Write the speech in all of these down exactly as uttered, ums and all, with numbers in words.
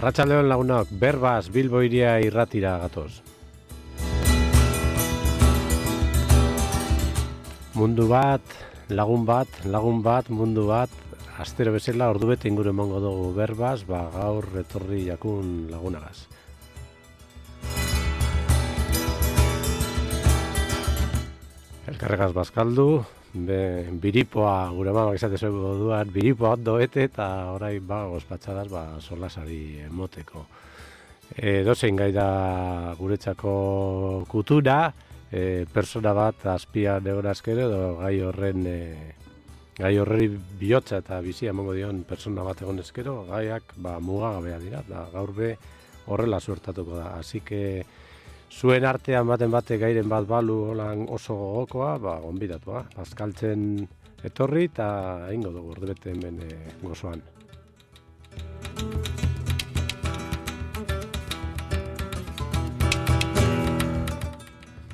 Arratsaldeon lagunok, Berbaz Bilbo hiria irratira gatoz. Mundu bat, lagun bat, lagun bat, mundu bat, astero bezala ordubete inguru emango dugu Berbaz, ba gaur etorri jakun lagunagaz. Elkarregaz bazkaldu, be, biripoa, gure mamak izate zueko duan, biripoa ondo ete eta orai ba, ospatxadaz, ba, solasari emoteko. E, dozein gai da guretzako kutura, e, persona bat azpian egon azkero, edo gai horren, e, gai horreri bihotza eta bizia emango dion persona bat egon ezkero, gaiak ba, mugagabea dira, da, gaur be horrela suertatuko da. Así que zuen artean baten bate gairen bat balu holan oso gogokoa, ba, gonbidatua. Bazkaltzen etorri eta egingo dugu ordubete hemen e, gozoan.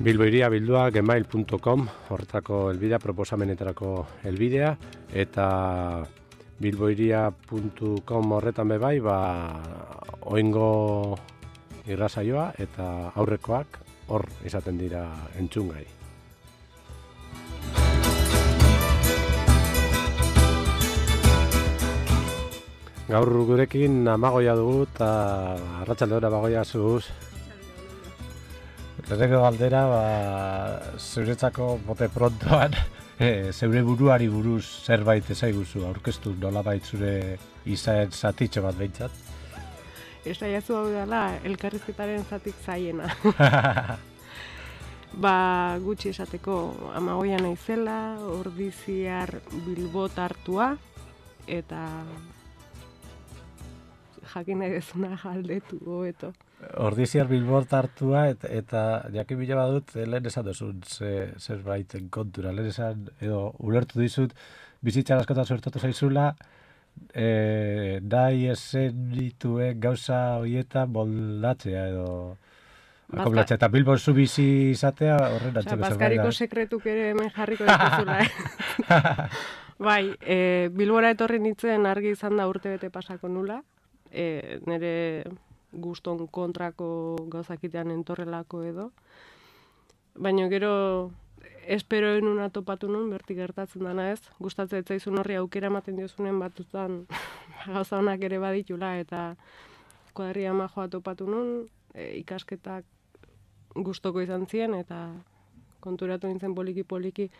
Bilboiria bildua gmail punto com, horretako elbidea, proposamenetarako elbidea, eta bilboiria punto com horretan bebai, ba, oingo irrasaioa eta aurrekoak hor izaten dira entzungai. Gaur gurekin Amagoia dugu eta arratsaldera Bagoia zuz. Lehenengo galdera, ba, zuretzako bote prontoan, e, zeure buruari buruz zerbait ezaiguzu aurkeztu nolabait zure izaen zatitxo bat behintzat. Esaiazu hau dela, elkarrizketaren zatik zaiena. Ba, gutxi esateko Amagoia naizela, ordiziar Bilbot hartua, eta jakin nahi dezuna galdetu hobeto. Ordiziar Bilbot hartua, eta, eta jakin bila badut, lehen esan duzun ze, zerbaiten kontura, lehen esan, edo ulertu dizut, bizitzan askotan suertatu zaizula, E, nahi esen dituen gauza horietan moldatzea edo akomlatzea, eta Bilbon zu bizi izatea horren antzeko zerbait. Bazkariko sekretuk ere hemen jarriko dituzula. Eh? Bai, e, Bilbora etorri nintzen argi izan da urte bete pasako nula, e, nire guston kontrako gauzakitean entorrelako edo, baina gero espero enuna topatu nun, bertik gertatzen dana ez, gustatzen etzaizun horri aukera ematen diozunen batutan gauza honak ere baditula, eta kuadria majoa topatu nun, e, ikasketak gustoko izan ziren, eta konturatu nintzen poliki-poliki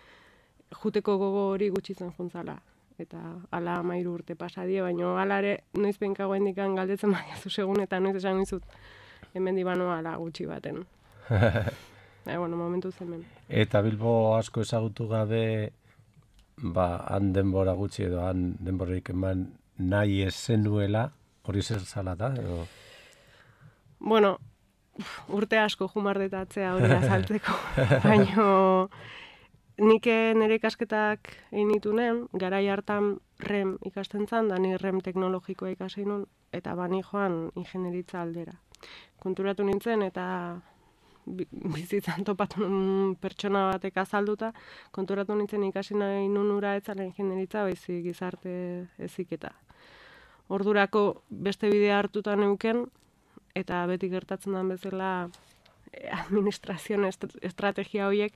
juteko gogo hori gutxitzen juntzala. Eta ala amairu urte pasadie, baina ala ere noiz benkago hendikan galdetzen baiazu segun, eta noiz esan nizut hemen dibanoa ala gutxi baten. E, bueno, momentu zemen. Eta Bilbo asko ezagutu gabe, ba, han denbora gutxi edo han denborarik eman nahi ezenuela, hori zer zala da, edo? Bueno, urte asko jumardetatzea hori azaltzeko, baina nik nire ikasketak egin nitunen, garai hartan rem ikasten zan, da ni rem teknologikoa ikasi nun, eta bani joan ingenieritza aldera. Konturatu nintzen eta bizitzan topatu nun pertsona batek azalduta, konturatu nintzen ikasi nahi nun ura etzala ingenieritza, baizik gizarte heziketa. Ordurako beste bidea hartuta neuken, eta beti gertatzen den bezala administrazio estrategia horiek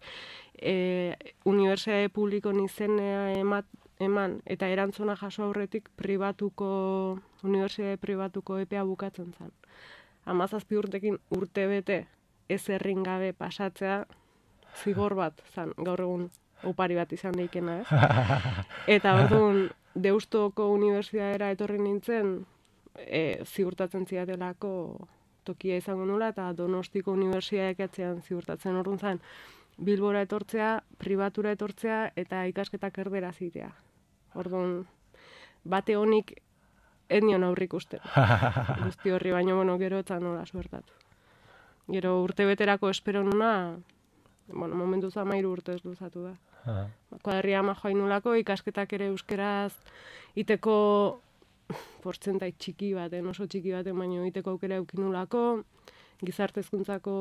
e, unibertsitate publikon izenea emat, eman eta erantzuna jaso aurretik pribatuko, unibertsitate pribatuko epea bukatzen zen. Hamazazpi urtekin urte bete ez errin gabe pasatzea zigor bat zan, gaur egun opari bat izan daikena, ez? Eta orduan Deustoko unibertsitateera etorri nintzen, e, ziurtatzen ziatelako tokia izango nula, eta Donostiko unibertsitateak atzean ziurtatzen orduan zen Bilbora etortzea, pribatura etortzea, eta ikasketak erdera zitea. Orduan, bate honik ez nion aurrik usten. Guzti horri, baino, bueno, gero etzan nola suertatu. Gero urte beterako espero nuna, bueno, momentu zamairu urtez luzatu da. Kuadria majoa inulako, ikasketak ere euskeraz iteko portzentai txiki baten, oso txiki baten, baino iteko aukera eukinulako, gizarte hezkuntzako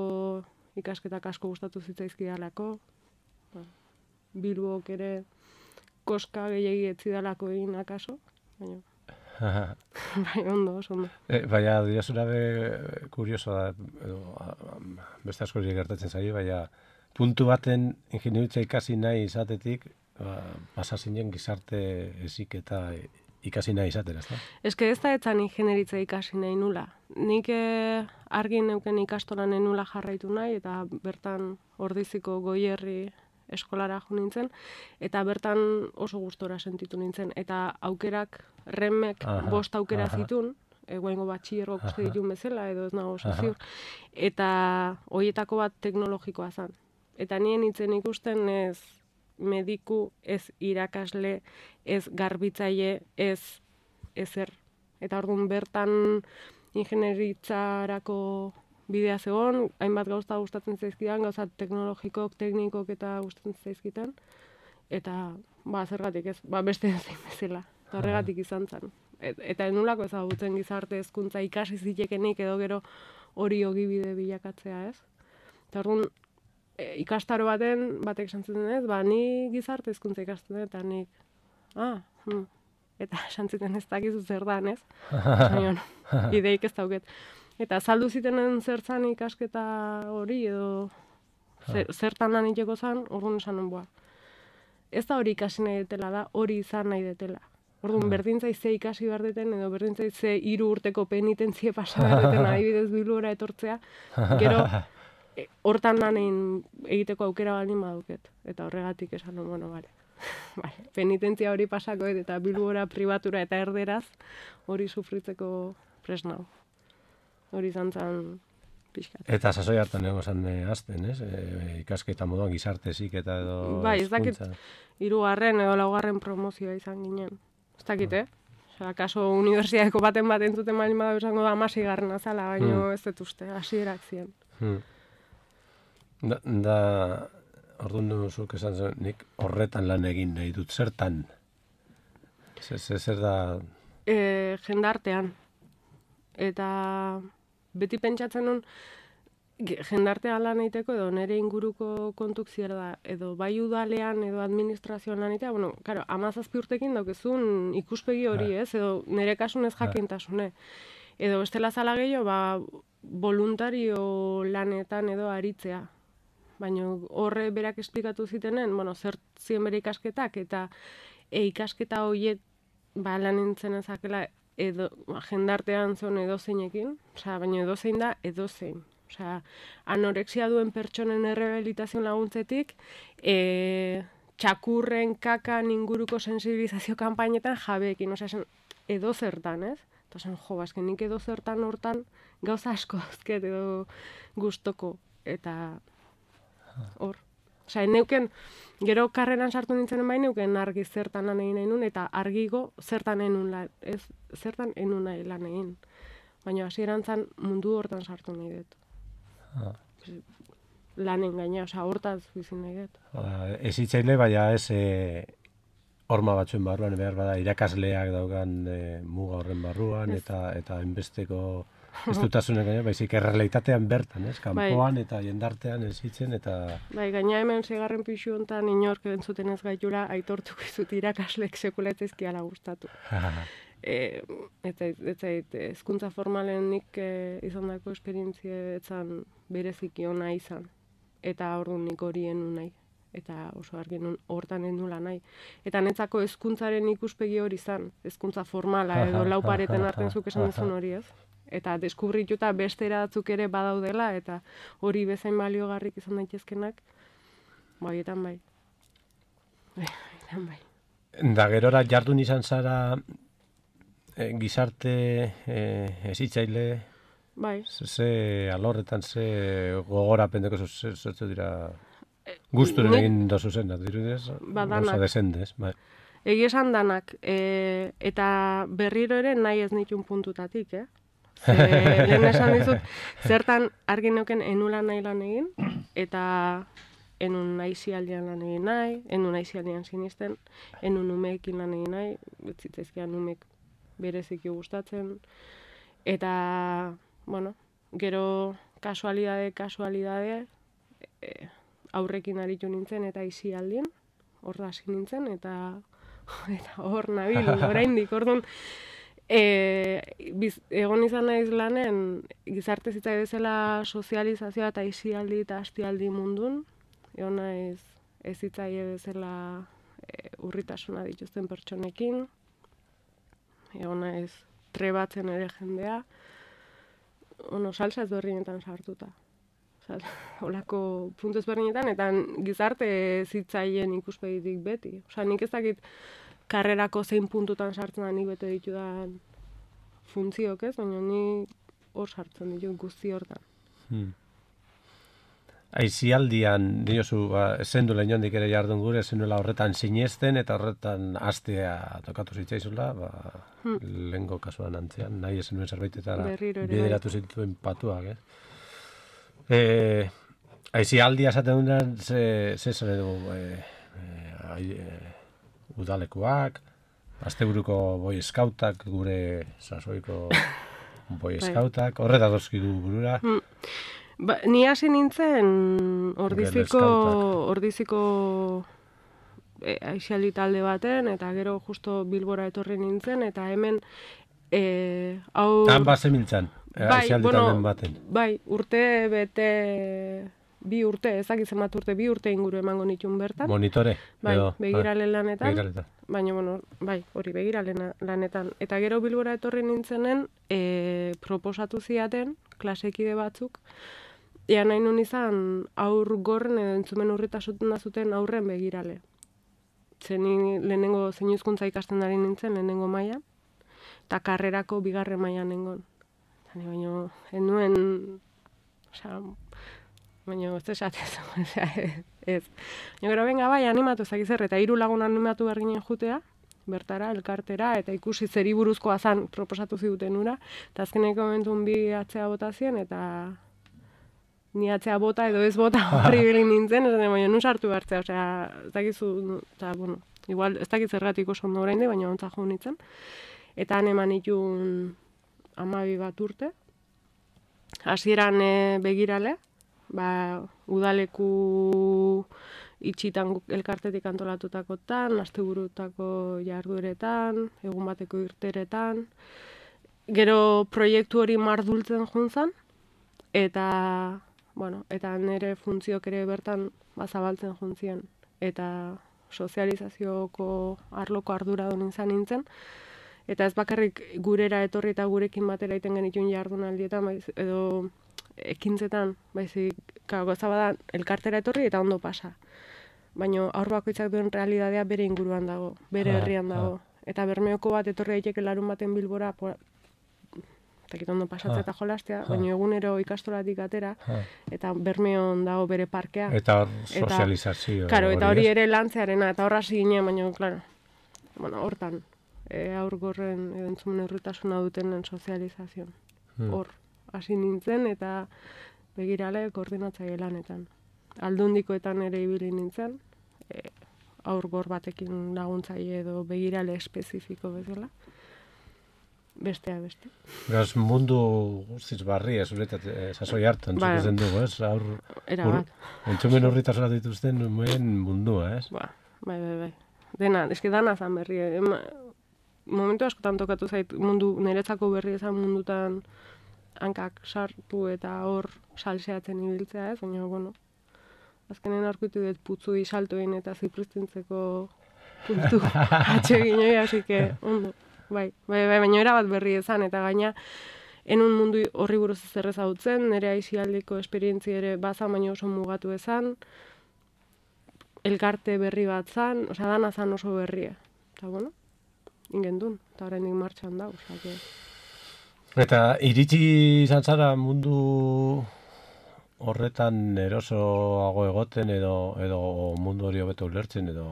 ikasketak asko gustatu zitzaizkidalako, Bilbok ere koska gehiagi etzidalako egin akaso, baina Bai, ondo, oso ondo. E, baina, diosuna be, kurioso da, edo, a, a, beste askori gertatzen zaio, baina, puntu baten ingeniaritza ikasi nahi izatetik, ba, pasa zinen gizarte ezik eta ikasi nahi izatera, ezta? Eske ez da etzan ingenieritza ikasi nahi nula. Nik eh, argi neuken ikastolan nula jarraitu nahi, eta bertan Ordiziko Goierri eskolara jo nintzen, eta bertan oso gustora sentitu nintzen. Eta aukerak, remek Aha, bost aukera aha. zitun, egoengo batxillergok uste Aha. ditun bezala, edo ez nago oso Aha. ziur, eta hoietako bat teknologikoa zen. Eta nien itzen ikusten ez mediku, ez irakasle, ez garbitzaile, ez ezer. Eta orduan bertan ingenieritzarako bidea zegoen, hainbat gauza gustatzen zaizkidan, gauza teknologikok, teknikok eta gustatzen zaizkitan. Eta, ba, zergatik ez, ba, beste zein bezala. Eta horregatik izan zen. Et, eta enulako ezagutzen gizarte hezkuntza ikasi zitekenik edo gero hori ogibide bilakatzea, ez? Eta orduan, e, ikastaro baten, batek esan zuten ez, ba, ni gizarte hezkuntza ikasten dut, eta nik, ah, hm. Eta esan zuten ez dakizu zer dan, ez? Baina, ideik ez dauket. Eta saldu zitenen zertzan ikasketa hori, edo zer, zertan lan iteko zan, orduan esan nuen, boa. Ez da hori ikasi nahi detela da, hori izan nahi detela. Orduan, berdintzai ze ikasi behar deten, edo berdintzai ze hiru urteko penitentzia pasa behar deten, adibidez bilura etortzea, gero, e, hortan lan egin egiteko aukera baldin baduket. Eta horregatik esan nuen, bueno, bale. Vale, penitentzia hori pasako eta bilbora, pribatura eta erderaz hori sufritzeko presnau. Hori izan zen pixkat. Eta sasoi hartan egon zan e, azten, ez? E, ikasketa moduan gizarte ziketa edo Bai, ez dakit hezkuntza. hirugarren edo laugarren promozioa izan ginen. Ez dakit, eh? Osea, kaso unibertsitateko baten bat entzuten baldin bada esango da hamaseigarren azala, baino ez dut uste, hasierak ziren. Hmm. Da, da orduan duzuk esan zen, nik horretan lan egin nahi dut, zertan? Zer, zer, zer da... E, jendartean. Eta beti pentsatzen nun, ge- jendartean lan egiteko edo nire inguruko kontuk zier da, edo bai udalean edo administrazioan lan egitea, bueno, claro, hamazazpi urtekin daukezun ikuspegi hori, ez, edo nire kasun ez jakintasune. Edo bestela zala gehiago, ba, voluntario lanetan edo aritzea. Baina horre berak esplikatu zitenen, bueno, zer ziren bere ikasketak, eta e, ikasketa horiek ba, lan nintzen ezakela edo, ba, jendartean zon edozeinekin, osea, baina edozein da edozein. Osea, anorexia duen pertsonen errehabilitazio laguntzetik, e, txakurren kakan inguruko sensibilizazio kanpainetan jabeekin, osea, esan edozertan, ez? Eta esan, jo, bazken nik edozertan hortan gauza asko azket edo gustoko, eta hor. Osea, neuken, gero karreran sartu nintzenen bai neuken argi zertan lan egin nahi nun, eta argigo zertan enun lan, ez, zertan enun nahi lan egin. Baina hasieran zan mundu hortan sartu nahi dut. Ah. Lanen gaina, osea, hortaz bizi nahi dut. Ba, ez hitzaile, baina ez e, horma batzuen barruan, behar bada irakasleak daukan e, muga horren barruan, Ez. eta eta enbesteko ez dutasunek gaina, baizik errealitatean bertan, ez? Kanpoan eta jendartean ez hitzen, eta... Bai, gaina hemen seigarren pixu hontan inork entzuten ez gaitura aitortuko izut irakaslek sekula ez zaizkiala gustatu. E, ez zait, ez zait, hezkuntza formalen nik e, izandako esperientzia etzan bereziki ona izan. Eta orduan nik hori enu nahi. Eta oso argi nun hortan endula nahi. Eta netzako hezkuntzaren ikuspegi hori izan. Hezkuntza formala edo lau pareten artean zuk esan duzun hori, ez? Eta deskubrituta beste eratzuk ere badaudela, eta hori bezain baliogarrik izan daitezkenak, baietan bai. Baietan bai. Da gerora jardun izan zara e, gizarte e, hezitzaile, Bai. ze, ze alorretan, ze gogorapendeko zertzu dira gusturen nik- egin dozu zen, dirudez? Ba, danak. Gauza desendez, bai. Egia esan danak, e, eta berriro ere nahi ez nitun puntutatik, eh? Ze, lehen esan dizut, zertan argi neuken enula nahi lan egin, eta enun aizialdian lan egin nahi, enun aizialdian sinisten, enun umeekin lan egin nahi, zitzezkian umek bereziki gustatzen, eta, bueno, gero kasualidade, kasualidade, e, aurrekin aritu nintzen eta aizialdien, hor hasi nintzen, eta eta hor nabil, oraindik, orduan, E, biz, egon izan naiz lanen, gizarte zitzai bezala sozializazioa eta isialdi eta astialdi mundun, egon naiz ez zitzaie bezala e, urritasuna dituzten pertsonekin, egon naiz trebatzen ere jendea, ono, salsa ezberdinetan sartuta. Olako puntu ezberdinetan, eta gizarte zitzaien ikuspegitik beti. Osa, nik ez dakit karrerako zein puntutan sartzen da nik bete ditudan funtziok, ez? Baina ni hor sartzen ditu guzti hortan. Hmm. Aizialdian, diozu, ba, zendu lehenondik ere jardun gure, zenuela horretan sinesten eta horretan astea tokatu zitzaizula, ba, hmm. lehengo kasuan antzean, nahi esen nuen zerbaitetara bideratu zituen patuak, ez? E, aizialdia esaten duen, ze, ze zer edo, e, e, e, udalekuak, asteburuko boy scoutak, gure sasoiko boy scoutak, horreta dozki du burura. Hmm. Ba, ni hasi nintzen ordiziko, ordiziko e, aixialdi talde baten, eta gero justo Bilbora etorri nintzen, eta hemen e, hau... Han bat zemiltzan, bai, aixialdi bueno, talden baten. Bai, urte bete... bi urte, ezak zenbat urte, bi urte inguru emango nitun bertan. Monitore? Bai, edo, begirale lanetan. Begiraletan. Baina, bueno, bai, hori begirale lanetan. Eta gero Bilbora etorri nintzenen, e, proposatu ziaten, klasekide batzuk, ea nahi nun izan aur gorren edo entzumen urritasuna zuten aurren begirale. Zeni lehenengo zein hizkuntza ikasten ari nintzen, lehenengo maila, eta karrerako bigarren mailan nengon. Zani, baina, enuen, osea, baina ez esatez, ez. Baina gero benga bai animatu ezakiz zer, eta hiru lagun animatu behar ginen jutea, bertara, elkartera, eta ikusi zeri buruzkoa zan proposatu ziduten ura, eta azkeneko momentun bi atzea bota zien, eta ni atzea bota edo ez bota horri bilin nintzen, ez baina nun sartu behartzea, osea, ez dakizu, eta, bueno, igual, ez dakiz zergatik oso ondo orain de, baina ontza jo nintzen, eta han eman itun amabi bat urte, hasieran e, begirale, ba, udaleku itxitan elkartetik antolatutakotan, asteburutako jardueretan, egun bateko irteretan. Gero proiektu hori mardultzen juntzan, eta, bueno, eta nire funtziok ere bertan bazabaltzen juntzien. Eta sozializazioko arloko arduradun izan nintzen. Eta ez bakarrik gurera etorri eta gurekin batera iten genituen jardunaldietan, edo ekintzetan, baizik, gauza bada elkartera etorri eta ondo pasa. Baina aur bakoitzak duen realidadea bere inguruan dago, bere herrian dago. Eta Bermeoko bat etorri daiteke larun baten Bilbora, eta ondo pasatzea eta jolastea, baina egunero ikastolatik atera, eta Bermeon dago bere parkea. Eta sozializazio. Karo, eta hori ere lantzearena, eta horra zinen, baina, klaro, bueno, hortan, e, aur gorren entzumen errutasuna dutenen sozializazioan. Hor. Hmm. Hasi nintzen eta begirale koordinatzaile lanetan. Aldundikoetan ere ibili nintzen, e, aur gor batekin laguntzaile edo begirale espezifiko bezala. Bestea beste. Beraz, mundu guztiz barri, ez uretat, sasoi hartan, ba, zukuzen dugu, ez? Aur, era bat. Entzumen horritasuna dituzten nuen mundua, ez? Ba, bai, bai, bai. Dena, eski dana zan berri. Ema, momentu askotan tokatu zait mundu, niretzako berri ezan mundutan hankak sartu eta hor salseatzen ibiltzea, ez? Baina, bueno, azkenen aurkitu dut putzui saltoin eta zipristintzeko puntu atxeginoi, hasi que, ondo, bai, bai, bai, baina erabat berri ezan, eta gaina, enun mundu horri buruz zer ezagutzen, nire aizialdiko esperientzi ere bazan, baina oso mugatu ezan, elkarte berri bat zan, osea, dana zan oso berria. Eta, bueno, ingendun, eta horrendik martxan da, osea, que... Eta iritsi izan zara mundu horretan erosoago egoten edo edo mundu hori hobeto ulertzen edo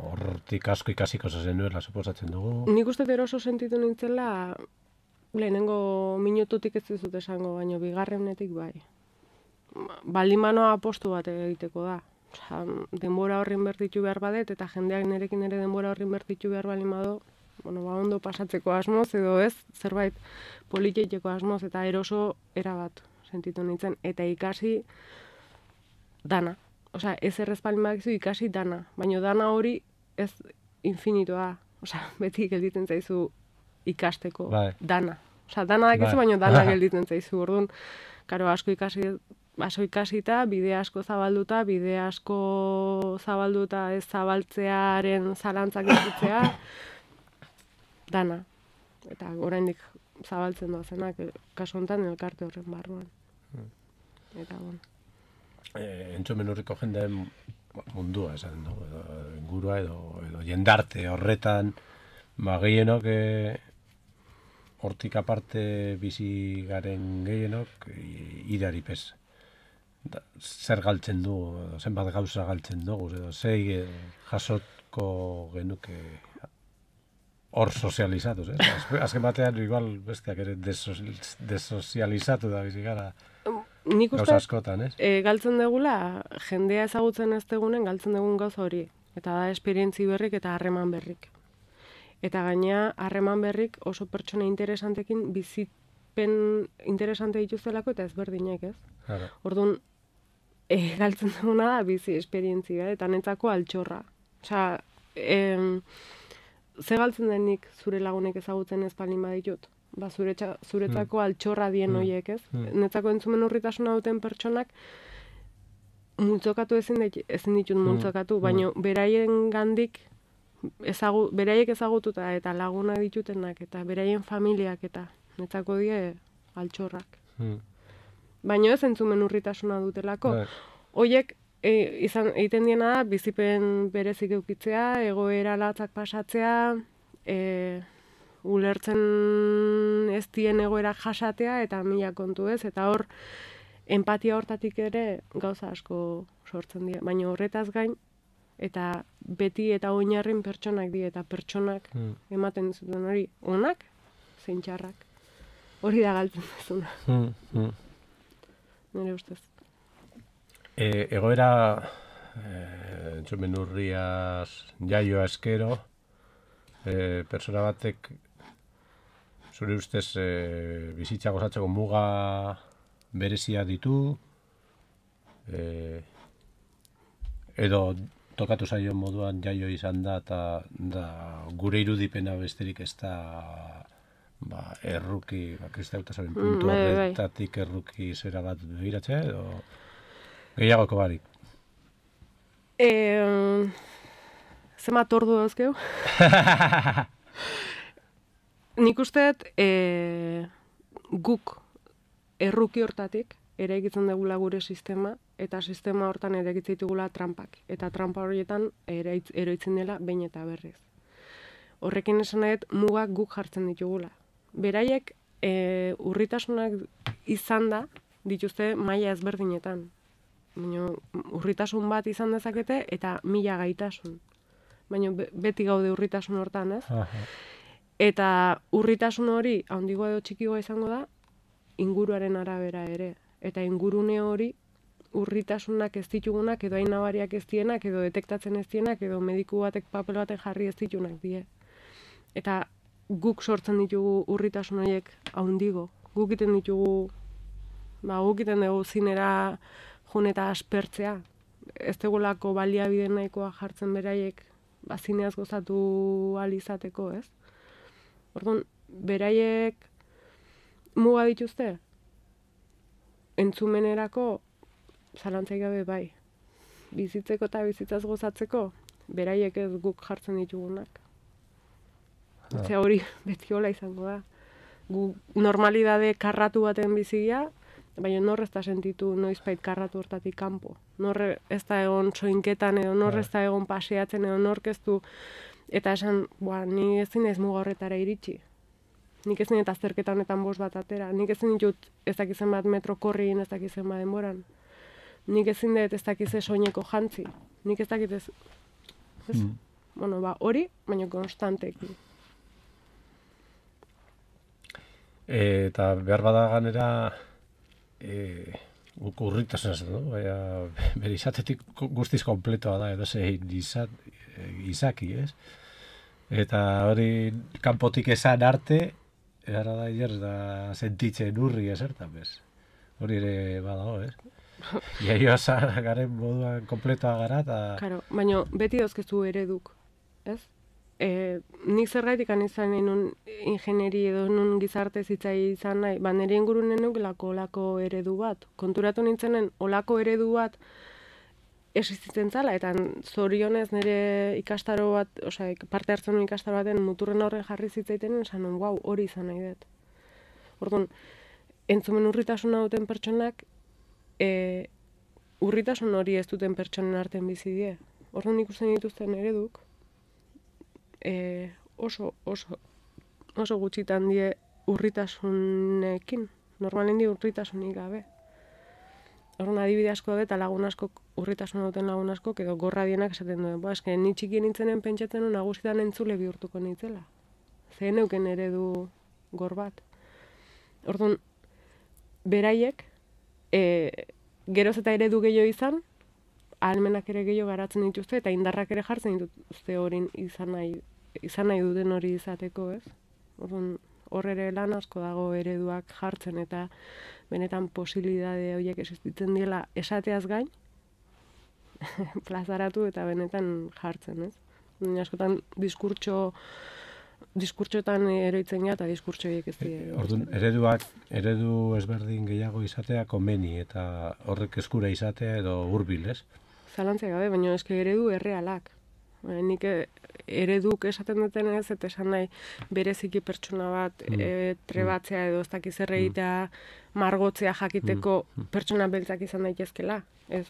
hortik asko ikasiko zenuela suposatzen dugu. Nik uste eroso sentitu nintzela lehenengo minututik ez dizut esango, baino bigarrenetik bai. Baldin manoa apostu bat egiteko da. Osea, denbora horrin bertitu behar badet eta jendeak nerekin ere denbora horrin bertitu behar baldin bado, bueno, ba ondo pasatzeko asmoz edo ez, zerbait politeko asmoz eta eroso erabat sentitu nintzen eta ikasi dana. Osea, ez errezpalin bakizu ikasi dana, baina dana hori ez infinitoa. Osea, beti gelditzen zaizu ikasteko bai. dana. Osa, dana dakizu, Bai. baina dana gelditzen zaizu, orduan, karo, asko ikasi, asko ikasita, bide asko zabalduta, bide asko zabalduta ez zabaltzearen zalantzak edukitzea, dana. Eta oraindik zabaltzen doazenak, kasu honetan elkarte horren barruan. Eta, bueno. E, entzumen urriko jendeen mundua, esan dugu, edo ingurua edo, edo jendarte horretan, ba, gehienok, e, hortik aparte bizi garen gehienok, idari pez. Da, zer galtzen du, edo zenbat gauza galtzen dugu, edo zei jasotko genuke hor sozializatuz, eh? Azken batean, igual, bestiak ere desozializatu da bizi gara. Nik uste, gauza askotan, ez? E, galtzen degula, jendea ezagutzen ez degunen, galtzen degun gauza hori. Eta da, esperientzi berrik eta harreman berrik. Eta gaina, harreman berrik oso pertsona interesantekin bizipen interesante dituztelako eta ezberdinek, ez? Claro. Orduan, e, galtzen deguna da bizi esperientzia, eta netzako altxorra. Osea, em, ze galtzen denik zure lagunek ezagutzen ez palin baditut? Ba, zuretza, zuretzako mm. altxorra dien mm. hoiek, ez? Mm. Netzako entzumen urritasuna duten pertsonak multzokatu ezin, dit, ezin ditut multzokatu, mm. baina beraien gandik ezagu, beraiek ezagututa eta laguna ditutenak eta beraien familiak eta netzako die altxorrak. Mm. Baina ez entzumen urritasuna dutelako. Hoiek e, izan egiten diena da bizipen berezik eukitzea, egoera latzak pasatzea, e, ulertzen ez dien egoerak jasatea eta mila kontu ez, eta hor empatia hortatik ere gauza asko sortzen dira, baina horretaz gain eta beti eta oinarrin pertsonak dira eta pertsonak mm. ematen zuten hori onak zein txarrak. Hori da galtzen duzuna. Mm, mm. Nire ustez. E, egoera e, entzumen urriaz jaioa eskero e, persona batek zure ustez e, bizitza gozatzeko muga berezia ditu, e, edo tokatu zaio moduan jaio izan da, eta da, gure irudipena besterik ez da ba, erruki, ba, kristautasoren puntu mm, horretatik erruki zera bat begiratzea, edo gehiagoko barik. E, Zema tordu dauzkeu? Nik usteet e, guk erruki hortatik eraikitzen dugula gure sistema, eta sistema hortan eraikitzen ditugula trampak. Eta trampa horietan eraitz, eroitzen dela behin eta berriz. Horrekin esan nahet mugak guk jartzen ditugula. Beraiek e, urritasunak izan da dituzte maila ezberdinetan. Baina urritasun bat izan dezakete eta mila gaitasun. Baina beti gaude urritasun hortan, ez? Aha. Eta urritasun hori, handigoa edo txikigoa izango da, inguruaren arabera ere. Eta ingurune hori, urritasunak ez ditugunak, edo hain nabariak ez dienak, edo detektatzen ez dienak, edo mediku batek papel baten jarri ez ditugunak die. Eta guk sortzen ditugu urritasun horiek handigo. Guk iten ditugu, ba, guk iten dugu zinera jun eta aspertzea. Ez dugulako baliabide nahikoa jartzen beraiek, ba, zineaz gozatu ahal izateko, ez? Orduan, beraiek muga dituzte? Entzumenerako zalantzaik gabe bai. Bizitzeko eta bizitzaz gozatzeko, beraiek ez guk jartzen ditugunak. Ah. Ze hori beti hola izango da. Gu normalidade karratu baten bizigia, baina nor ez da sentitu noizbait karratu hortatik kanpo. Nor ez da egon soinketan, edo nor ez da egon paseatzen, edo nork ez du. Eta esan, boa, ni ezin ez muga horretara iritsi. Nik ezin eta azterketa honetan bost bat atera. Nik ezin ditut ez dakizen bat metro korriin, ez dakizen bat denboran. Nik ezin dut ez dakize soineko jantzi. Nik ez dakit ez... ez? Mm. Bueno, ba, hori, baina konstanteki. E, eta behar bada ganera... E... Guk urritasun ez du, baina bere izatetik guztiz kompletoa da, edo zein izat, izaki, ez? Eta hori kanpotik esan arte, era da ier da sentitzen urri esertan, bez? Hori ere badago, ez? Iaioa garen moduan kompletoa gara, eta... Claro, baina beti dauzkezu ereduk, ez? e, nik zergaitik anizan nun ingenieri edo nun gizarte zitzai izan nahi, ba nire ingurunen nukelako olako eredu bat. Konturatu nintzenen olako eredu bat existitzen zala, eta zorionez nire ikastaro bat, osea, parte hartzen nuen ikastaro baten muturren horren jarri zitzaiten, esan nun, wow, hori izan nahi dut. Orduan, entzumen urritasuna duten pertsonak, e, urritasun hori ez duten pertsonen artean bizi die. Orduan ikusten dituzten ereduk, e, oso, oso, oso gutxitan die urritasunekin. Normalen di urritasunik gabe. Orduan adibide asko da eta lagun asko, urritasun duten lagun asko, edo gorra dienak esaten duen. Ba, eske, ni txikien nintzenen pentsatzen du nagusitan entzule bihurtuko nintzela. Zehen neuken eredu gor bat. Orduan, beraiek, e, geroz eta eredu gehiago izan, ahalmenak ere gehiago garatzen dituzte, eta indarrak ere jartzen dituzte horin izan nahi, izan nahi duten hori izateko, ez? Orduan, hor ere lan asko dago ereduak jartzen, eta benetan posibilidade horiek existitzen diela esateaz gain, plazaratu eta benetan jartzen, ez? Baina askotan diskurtso diskurtsotan eroitzen gara eta diskurtso horiek ez dira. Orduan, ereduak, eredu ezberdin gehiago izatea komeni eta horrek eskura izatea edo hurbil, ez? Zalantzea gabe, baina eske eredu errealak. Nik ereduk esaten duten ez, eta esan nahi bereziki pertsona bat mm. e, trebatzea edo ez dakiz erreitea, margotzea jakiteko mm. pertsona beltzak izan daitezkela. Ez.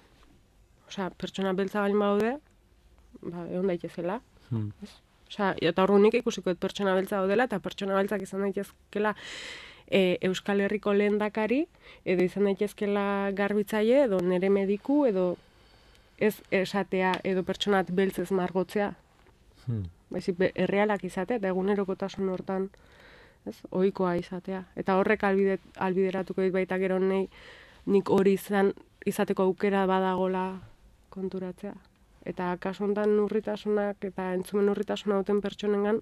Osea, pertsona beltza baldin baude, ba, egon daitezela. Mm. Ez. Osea, eta horrenik ikusiko dut pertsona beltza daudela, eta pertsona beltzak izan daitezkela e, Euskal Herriko lehendakari, edo izan daitezkela garbitzaile, edo nere mediku, edo ez esatea, edo pertsonat beltzez margotzea. Hmm. Baizik, errealak izatea, eta egunerokotasun hortan, ez, ohikoa izatea. Eta horrek albide, albideratuko dit baita gero nei, nik hori izan, izateko aukera badagola konturatzea. Eta kasu honetan urritasunak eta entzumen urritasuna duten pertsonengan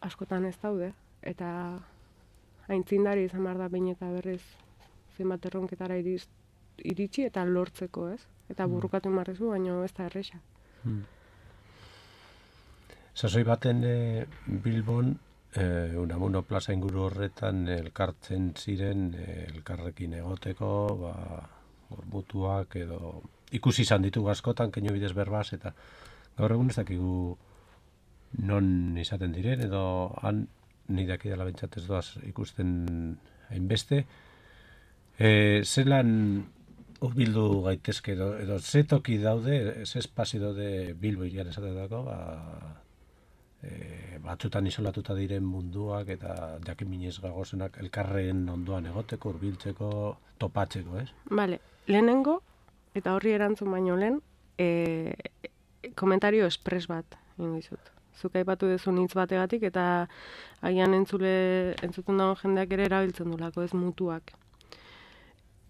askotan ez daude. Eta aintzindari izan behar da behin eta berriz zenbat erronketara iriz, iritsi eta lortzeko, ez? Eta burrukatu marrezu, baina ez da erresa. Hmm. Sasoi baten e, Bilbon, e, Unamuno plaza inguru horretan elkartzen ziren e, elkarrekin egoteko, ba, gormutuak edo ikusi izan ditugu askotan, keinu bidez berbaz, eta gaur egun ez dakigu non izaten diren, edo han nidak idala bentsat ez doaz ikusten hainbeste. E, zelan urbildu gaitezke edo, edo ze toki daude, ze espazio daude Bilbo irian esatetako, ba, e, batzutan isolatuta diren munduak eta jakin minez gagozenak elkarren ondoan egoteko, urbiltzeko, topatzeko, ez? Bale, lehenengo, eta horri erantzun baino lehen, e, komentario espres bat egin dizut. Zuk aipatu duzun hitz bategatik eta agian entzule, entzuten dago jendeak ere erabiltzen dulako, ez mutuak.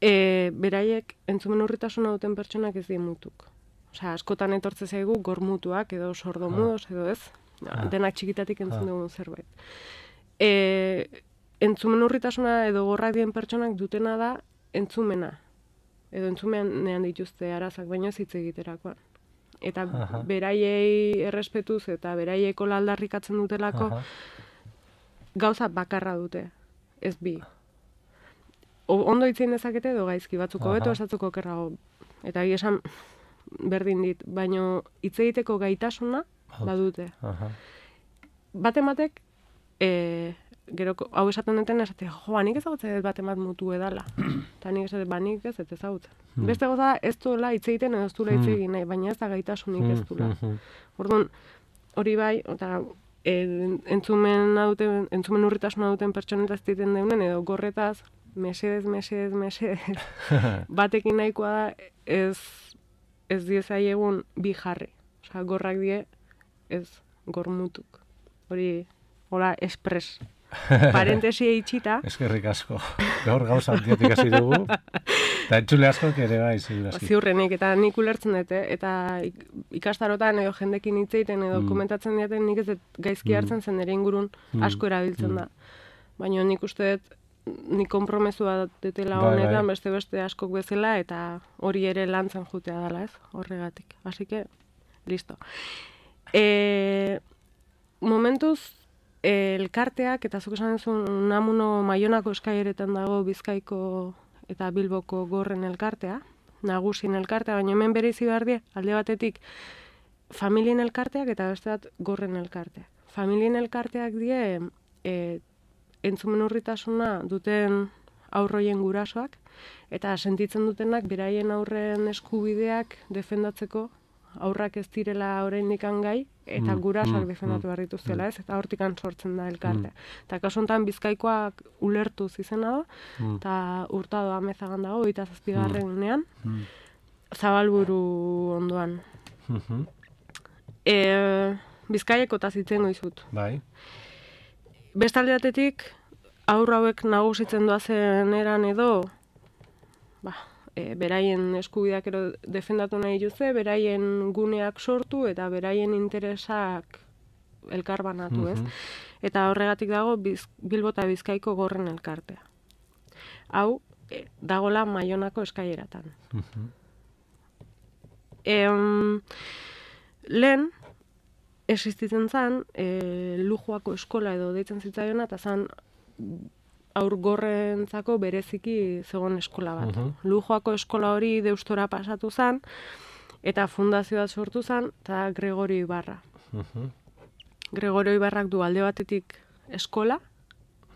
E, beraiek entzumen urritasuna duten pertsonak ez die mutuk. Osea, askotan etortze zaigu gormutuak edo sordomudos edo ez, ah. denak txikitatik entzun dugun ah. zerbait. E, entzumen urritasuna edo gorrak dien pertsonak dutena da entzumena. Edo entzumenean dituzte arazak, baino ez hitz egiterakoan. Eta Aha. beraiei errespetuz eta beraieko aldarrikatzen dutelako Aha. gauza bakarra dute, ez bi. O, ondo hitzein dezakete edo gaizki, batzuko beto esatzuko kerrago. Eta egia esan berdin dit, baino hitz egiteko gaitasuna badute. Aha. Bate matek, e, gero hau esaten duten esate, joa, nik ezagutzen dut bate mat mutu edala. Eta nik esaten, ba, nik ez ez ezagutzen. Hmm. Beste goza, ez duela hitz egiten edo ez duela hitz egin nahi, baina ez da gaitasunik ez duela. Hmm. Orduan, hori bai, eta e, entzumen, duten, entzumen urritasuna duten pertsonetaz egiten deunen, edo gorretaz, mesedez, mesedez, mesedez, batekin nahikoa da, ez, ez diezai egun bi jarri. Osa, gorrak die, ez gormutuk. Hori, hola, espres. Parentesia itxita. Eskerrik asko. Gaur gauza antietik hasi dugu. Eta entzule asko ere bai, ziurazki. Ziurrenik, eta nik ulertzen dute, eta ikastarotan edo jendekin hitz egiten edo mm. komentatzen diaten nik ez dut gaizki hartzen zen ere ingurun asko erabiltzen mm. da. Baina nik uste dut nik konpromesua detela honetan, bai, beste-beste askok bezala, eta hori ere lantzen jutea dela, ez? Horregatik. Así que, listo. E, momentuz, elkarteak, eta zuk esan duzu, Unamuno Maionako eskaileretan dago Bizkaiko eta Bilboko gorren elkartea, nagusien elkartea, baina hemen bereizi behar die, alde batetik, familien elkarteak eta beste bat gorren elkarteak. Familien elkarteak die, e, entzumen urritasuna duten aurroien gurasoak, eta sentitzen dutenak beraien aurren eskubideak defendatzeko, aurrak ez direla oraindik gai, eta gurasoak defendatu behar dituztela, ez? Eta hortikan sortzen da elkartea. Eta kasu honetan Bizkaikoak ulertuz izena da, eta Hurtado Amezagan dago, hogeita zazpigarrenean, Zabalburu ondoan. E, Bizkaieko eta zitzen goizut. Bai. Bestalde batetik, aurra hauek nagusitzen doazen eran edo, ba, e, beraien eskubideak ero defendatu nahi duze, beraien guneak sortu eta beraien interesak elkarbanatu, ez? Eta horregatik dago Biz, Bilbo eta Bizkaiko gorren elkartea. Hau, e, dagola Maionako eskaileratan. E, um, lehen, existitzen zen, e, Lujoako eskola edo deitzen zitzaiona, eta zen aur gorrentzako bereziki zegoen eskola bat. Uh-huh. Lujoako eskola hori Deustora pasatu zen, eta fundazioa sortu zen, eta Gregorio Ibarra. Uh-huh. Gregorio Ibarrak du alde batetik eskola,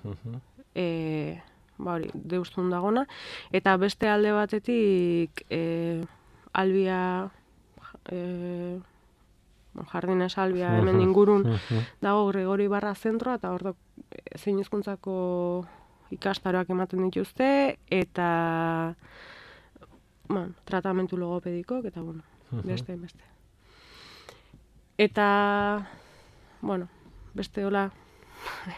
uh-huh. e, ba hori, Deustun dagona, eta beste alde batetik e, Albia... E, Jardines Albia hemen ingurun dago Gregorio Ibarra zentroa, eta hor zein hizkuntzako ikastaroak ematen dituzte, eta bueno, tratamentu logopedikok, eta bueno, beste, beste. Eta, bueno, beste hola,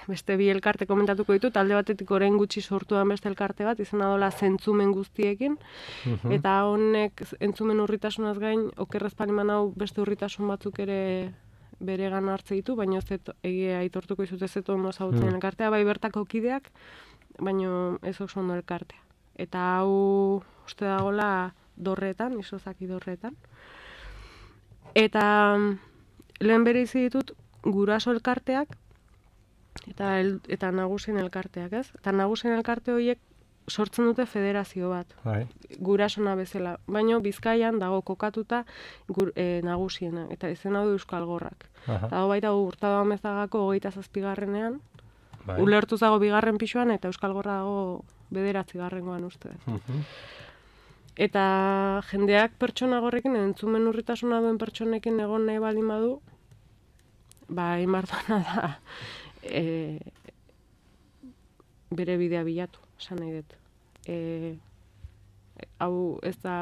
beste bi elkarte komentatuko ditut, alde batetik orain gutxi sortuan beste elkarte bat, izena dola Zentzumen guztiekin, uh-huh. eta honek entzumen urritasunaz gain, okerrez paniman hau beste urritasun batzuk ere bere gana hartze ditu, baina ez egia aitortuko izut ez eto ondo zautzen uh-huh. elkartea, bai bertako kideak, baina ez oso ondo elkartea. Eta hau uste dagoela Dorreetan, Isozaki Dorreetan. Eta lehen bere izi ditut guraso elkarteak, Eta, el, eta nagusien elkarteak, ez? Eta nagusien elkarte horiek sortzen dute federazio bat, Hai. Gurasona bezala. Baina Bizkaian dago kokatuta gur, e, nagusiena, eta izena du Euskal Gorrak. Aha. Dago baita Hurtado Amezagako hogeita zazpigarrenean, bai. Ulertuz dago bigarren pisuan, eta Euskal Gorra dago bederatzi garrengoan uste. Uh-huh. Eta jendeak pertsona gorrekin, entzumen urritasuna duen pertsonekin egon nahi baldin badu, ba, inbartana da, E, bere bidea bilatu, esan nahi dut. E, hau ez da,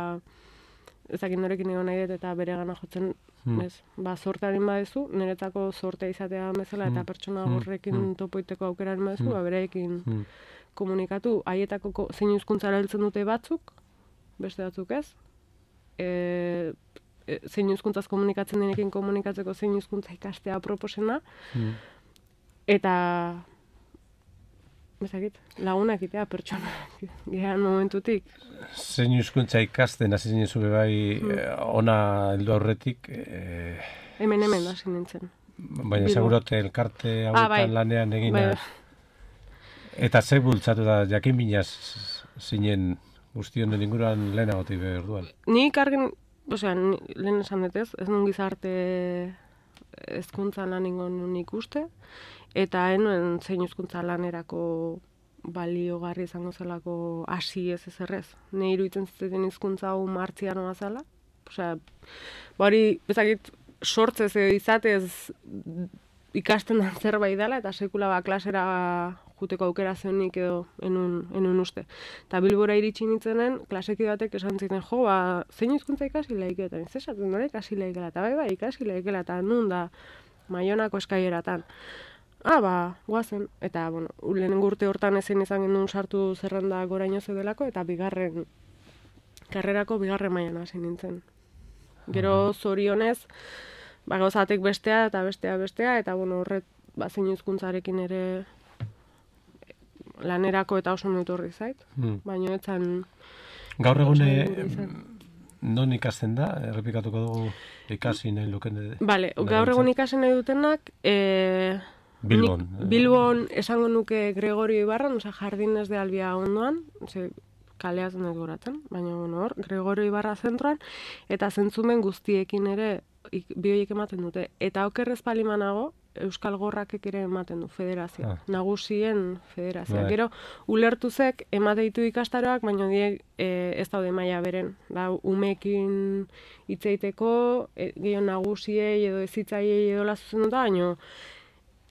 ezakin norekin egon nahi dut eta bere gana jotzen, hmm. ez, ba, zortearen badezu, niretzako zortea izatea bezala, eta pertsona horrekin hmm. topoiteko aukeraren badezu, hmm. ba, bereekin hmm. komunikatu, haietako zein hizkuntzara heltzen dute batzuk, beste batzuk ez, e, e, zein hizkuntzaz komunikatzen denekin komunikatzeko zein hizkuntza ikastea proposena, hmm. Eta, bezakit, lagunak itea pertsona, gehan momentutik. Zein hizkuntza ikasten, hasi zinen zure bai, mm. ona heldu aurretik? E... Hemen hemen hasi nintzen. Baina segurote elkarte hauetan ah, bai. Lanean egina. Bai. Eta ze bultzatu da, jakin binaz zinen guztion den inguruan lehenagotik behar duan? Nik argin, osea, lehen esan dut ez, ez nun gizarte hezkuntza lan ingon nik uste, eta enuen zein hizkuntza lanerako baliogarri izango zelako hasi ez ez errez. Ne iruditzen zitzen hizkuntza hau martzianoa zela. Osea, bari bezakit sortzez edo izatez ikasten den zerbait dela, eta sekula ba klasera juteko aukera zeunik edo enun, enun uste. Eta Bilbora iritsi nintzenen, klaseki batek esan ziten, jo, ba, zein hizkuntza ikasi laike, eta ez esaten dure ikasi laikela, eta bai, bai, ikasi laikela, eta nun da Maionako eskaileratan. Ah, ba, guazen. Eta, bueno, lehenengo urte hortan ezin izan genuen sartu zerrenda goraino zeudelako, eta bigarren, karrerako bigarren mailan hasi nintzen. Gero zorionez, ba, gauzatek bestea eta bestea bestea, eta, bueno, horret, ba, zein hizkuntzarekin ere lanerako eta oso nutorri zait. Hmm. Baina etzan... Gaur egune non ikasten da? Errepikatuko dugu ikasi nahi luken. Bale, gaur egun ikasi nahi dutenak, e, Bilbon. Nik, Bilbon esango nuke Gregorio Ibarran, oza, Jardines de Albia ondoan, ze, kaleaz nahi goratzen, baina bueno, hor, Gregorio Ibarra zentroan, eta zentzumen guztiekin ere bioiek ematen dute. Eta okerrez palimanago, Euskal Gorrakek ere ematen du, federazioa, ah. nagusien federazioa. Bai. Gero, ulertuzek emate ditu ikastaroak, baina die e, ez daude maila beren. Da, umeekin hitzeiteko, e, gehiago nagusiei edo ezitzaiei edo lazuzenduta, baina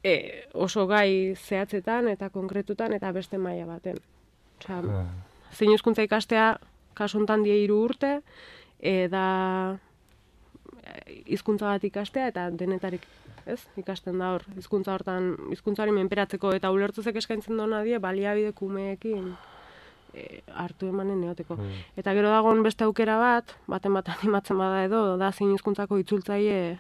e, oso gai zehatzetan eta konkretutan eta beste maila baten. Osea, ah. zein hizkuntza ikastea, kasu honetan die hiru urte, e, da hizkuntza bat ikastea eta denetarik ez, ikasten da hor, hizkuntza hortan, hizkuntzari menperatzeko eta ulertuzek eskaintzen dona die, baliabide kumeekin e, hartu emanen neoteko. Mm. Eta gero dagoen beste aukera bat, baten bat animatzen bada edo, da zein hizkuntzako itzultzaile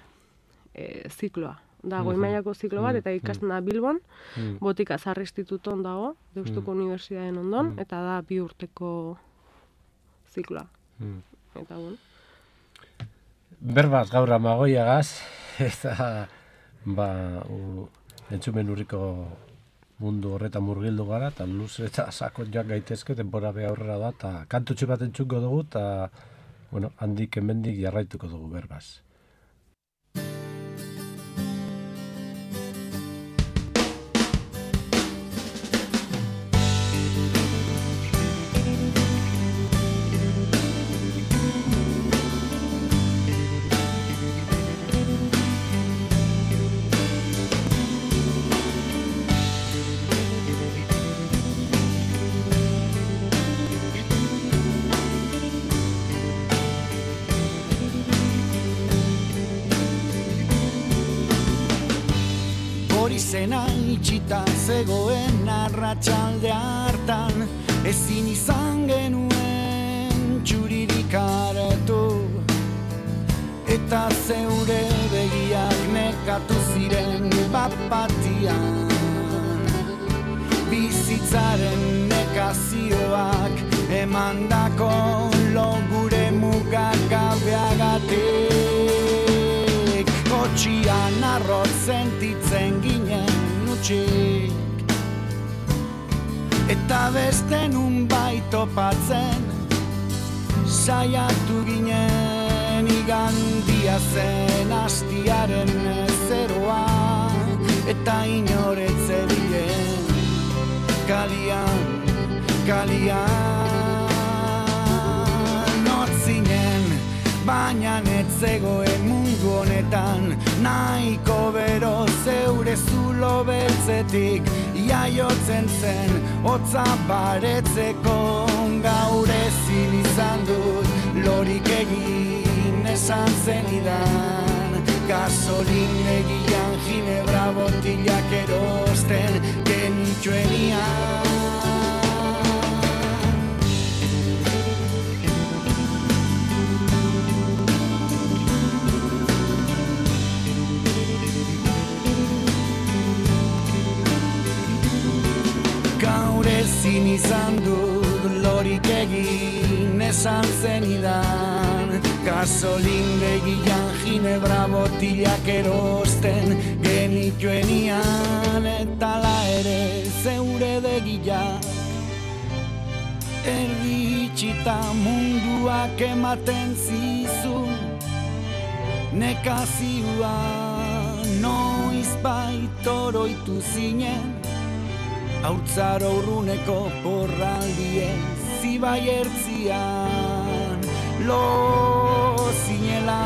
e, zikloa. Da, goi mailako ziklo bat, eta ikasten da Bilbon, mm. Botika Zar Instituton dago, Deustuko mm. Unibertsitateen ondon, mm. eta da bi urteko zikloa. Mm. Eta bon. Berbaz gaur amagoiagaz, eta ba, u, entzumen urriko mundu horretan murgildu gara, eta luze eta sakon joan gaitezke, denbora beha aurrera da, eta kantutxu bat entzuko dugu, eta bueno, handik hemendik jarraituko dugu berbaz. Zena itxita zegoen arratsalde hartan, ezin izan genuen txuririk hartu, eta zeure begiak nekatu ziren bapatian. Bizitzaren nekazioak emandako logure mugak gabeagatik, kotxian arrot sentitzen ginen utxik, eta beste nun baitopatzen saiatu ginen. Igandia zen astiaren zeroa, eta inoretze bilen kalian, kalian notzinen, baina netzegoen mundu honetan nahiko bero zeure zulo beltzetik iaiotzen zen hotza baretzeko. Gaur ezin izan dut lorik egin esan zenidan, gasolindegian ginebra botilak erosten genitxuenian. Gaur ezin izan dut lorik egin esan zenidan, gasolindegian ginebra botilak erosten genitxuenian, eta la ere zeure begiak erdi itxita munduak ematen zizun nekazioa. Noiz baitoroitu zinen haurtzaro urruneko porraldien zibai ertzian lo zinela,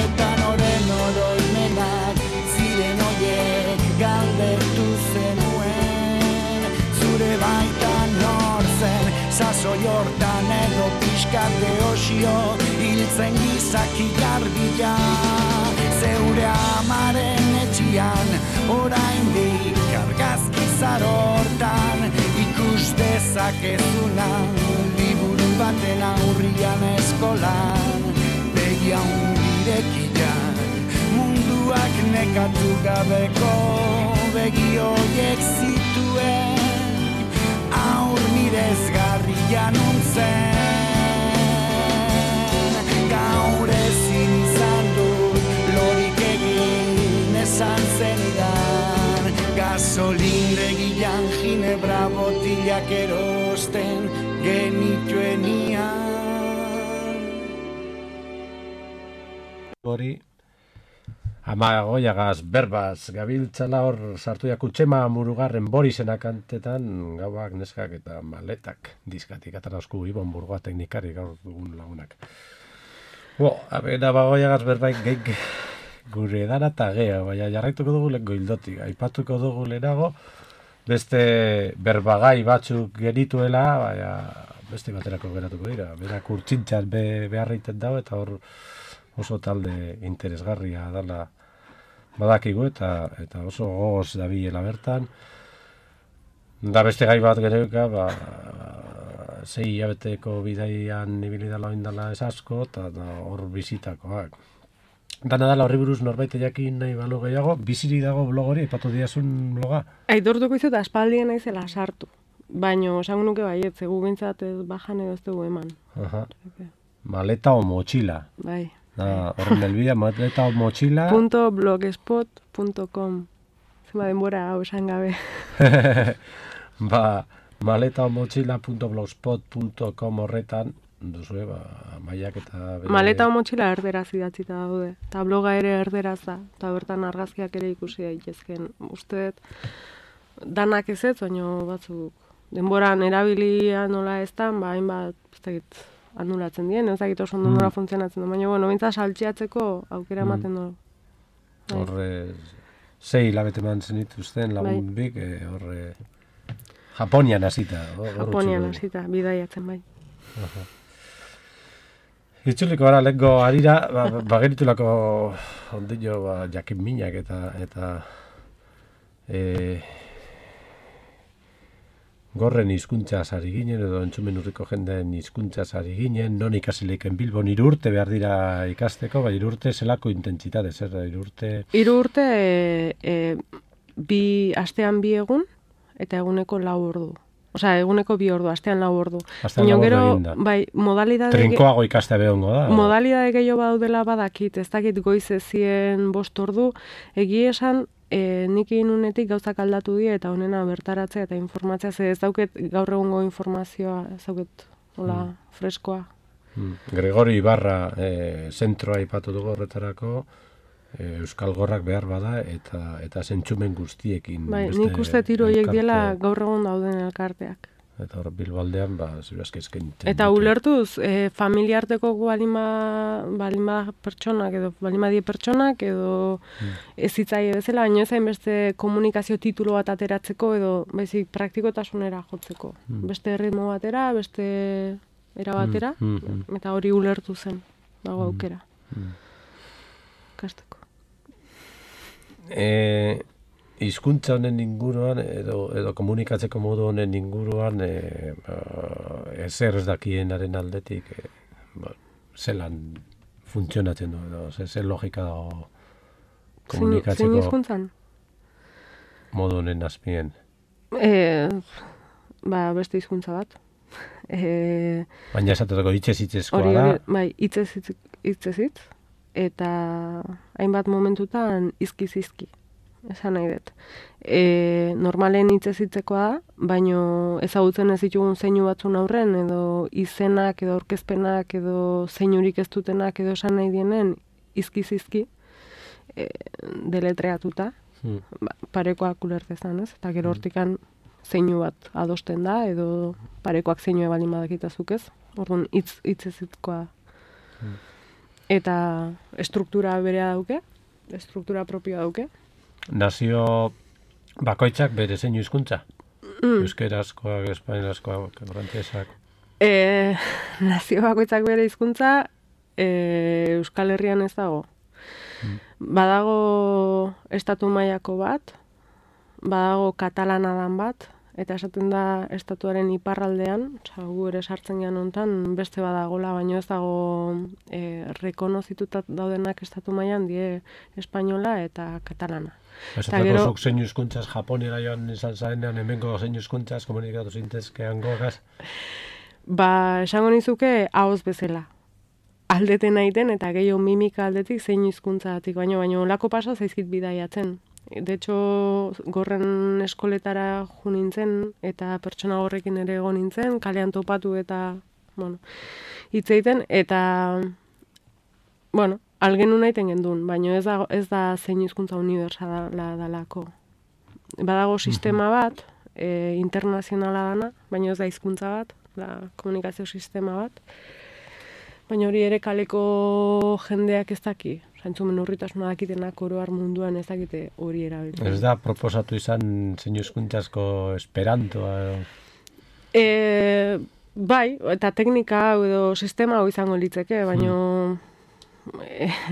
eta noren oroimenak ziren oiek galdetu zenuen, zure baitan nortzen sasoi hortan edo pixkate osio hiltzen gizaki garbila. Zeure amaren etxian oraindik argazki zaro hortan ikus dezakezuna, liburu baten aurrian eskolan begia hundirekian, munduak nekatu gabeko begi horiek zituen, aur mirezgarria nuntzen. argazkiak erosten genituenian. Hori, ama goiagaz, berbaz, gabiltzala hor sartu jak Utxema Murugarren Borisena kantetan, gauak, neskak eta maletak diskatik atarauzku Ibon Burgoa teknikari gaur dugun lagunak. Bo, abena bagoiagaz berbaik geik gure edara eta gea, baina jarraituko dugu lehen goildotik, aipatuko dugu lehenago, beste berbagai batzuk genituela, baina beste baterako geratuko dira, berak urtsintxan be, beharreiten dago eta hor oso talde interesgarria dala badakigu eta eta oso gogoz dabilela bertan. Da beste gai bat geneuka, ba, sei hilabeteko bidaian ibili dala oindala ez asko, eta hor bizitakoak. Dana dala horri buruz norbait jakin nahi balu gehiago, biziri dago blog hori, ipatu diazun bloga? Aitortuko izut aspaldien naizela sartu, baino esango nuke baiet, zegu bintzat ez bajan edo ez dugu eman. Aha. Maleta o mochila. Bai. Da, horren helbidea, maleta o mochila. Punto blogspot punto com. Zema denbora hau esan gabe. Ba, maleta o mochila punto blogspot punto com horretan, duzue, ba, maiak eta... Bere... Maleta o mochila erderaz idatzita daude. Eta bloga ere erderaz da. Eta bertan argazkiak ere ikusi daitezken. Uste danak ez ez, baina batzuk denboran erabilia nola ez da, ba, hainbat, ez dakit, anulatzen dien, ez dakit oso ondo nola mm. funtzionatzen du, baina, bueno, bintza saltziatzeko aukera ematen du. Mm. Horre, sei hilabete eman zenituzten lagun bai. Bik, e, horre, Japonian hasita. Japonian hasita, bidaiatzen bai. Aha. Itzuliko gara, lehenko harira, ba, bageritulako ondino ba, jakin minak eta, eta e, gorren hizkuntzaz ari ginen, edo entzumen urriko jendeen hizkuntzaz ari ginen, non ikasileiken Bilbon hiru urte behar dira ikasteko, bai hiru urte zelako intentsitate, zer da hiru urte? Hiru urte e, e, bi astean bi egun eta eguneko lau ordu. Osea, eguneko bi ordu, astean lau ordu. Astean lau ordu egin da. Bai, modalidade... Trinkoago ikastea behongo da. Modalidade gehiago badaudela badakit, ez dakit goiz ezien bost ordu, egi esan, E, nik inunetik gauzak aldatu die eta honena bertaratzea eta informatzea, ze ez dauket gaur egungo informazioa, ez dauket hola mm. freskoa. Mm. Gregori Ibarra e, zentroa ipatu dugu horretarako, e, Euskal Gorrak behar bada eta eta zentsumen guztiekin. Bai, nik uste tiro horiek diela gaur egun dauden elkarteak. Eta hor Bilbaldean, ba, zirazke eskaintzen. Eta ulertuz, e, familiarteko balima, balima pertsonak, edo balima die pertsonak, edo mm. ez hitzaile bezala, baina ezain beste komunikazio titulu bat ateratzeko, edo baizik praktikotasunera jotzeko. Mm. Beste ritmo batera, beste era batera, mm. Mm. eta hori ulertu zen, dago aukera. Mm. Kasteko. Eh... Hizkuntza honen inguruan, edo, edo komunikatzeko modu honen inguruan, e, ba, ezer ez dakienaren aldetik, e, ba, zelan funtzionatzen du, edo, ze, ze logika dago komunikatzeko zein hizkuntzan? Modu honen azpien. E, ba, beste hizkuntza bat. E, Baina esateko hitzez hitzezkoa da. Bai, hitzez hitzez, eta hainbat momentutan izkiz izki. Esan nahi dut. E, normalen hitzez hitzekoa da, baino ezagutzen ez ditugun zeinu batzun aurren, edo izenak, edo aurkezpenak, edo zeinurik ez dutenak, edo esan nahi dienen, izki-zizki, e, deletreatuta, hmm. ba, parekoak ulertezan, ez? Eta gero hortikan zeinu bat adosten da, edo parekoak zeinua balin badakitazuk ez? Orduan, hitz hitzez hitzekoa da. Hmm. Eta struktura berea dauke, struktura propioa dauke. Nazio bakoitzak bere zeinu hizkuntza? Mm. Euskerazkoak, espainolazkoak, frantsesak. E, nazio bakoitzak bere hizkuntza e, Euskal Herrian ez dago. Mm. Badago estatu mailako bat, badago katalanadan bat, eta esaten da estatuaren iparraldean, osea gu ere sartzen gean hontan beste badagola, baino ez dago e, rekonozituta daudenak estatu mailan die espainola eta katalana. Eta gero zuk zeinu hizkuntzaz Japonera joan izan zarenean hemengo zeinu hizkuntzaz komunikatu zintezkean gogaz. Ba, esango nizuke ahoz bezala. Aldeten aiten eta gehiago mimika aldetik zeinu hizkuntzagatik, baino baino olako pasa zaizkit bidaiatzen. De hecho, gorren eskoletara jo nintzen, eta pertsona horrekin ere egon nintzen, kalean topatu eta, bueno, hitz egiten, eta, bueno, algenu naiten gendun, baina ez da, ez da zein hizkuntza unibertsala dalako. Badago sistema bat, e, internazionala dana, baina ez da hizkuntza bat, da komunikazio sistema bat, baina hori ere kaleko jendeak ez daki. Zantzumen urritasuna dakitenak oroar munduan ez dakite hori erabiltzen. Ez da proposatu izan zein hizkuntzazko esperantoa edo? E, bai, eta teknika hau edo sistema hau izango litzeke, baina mm.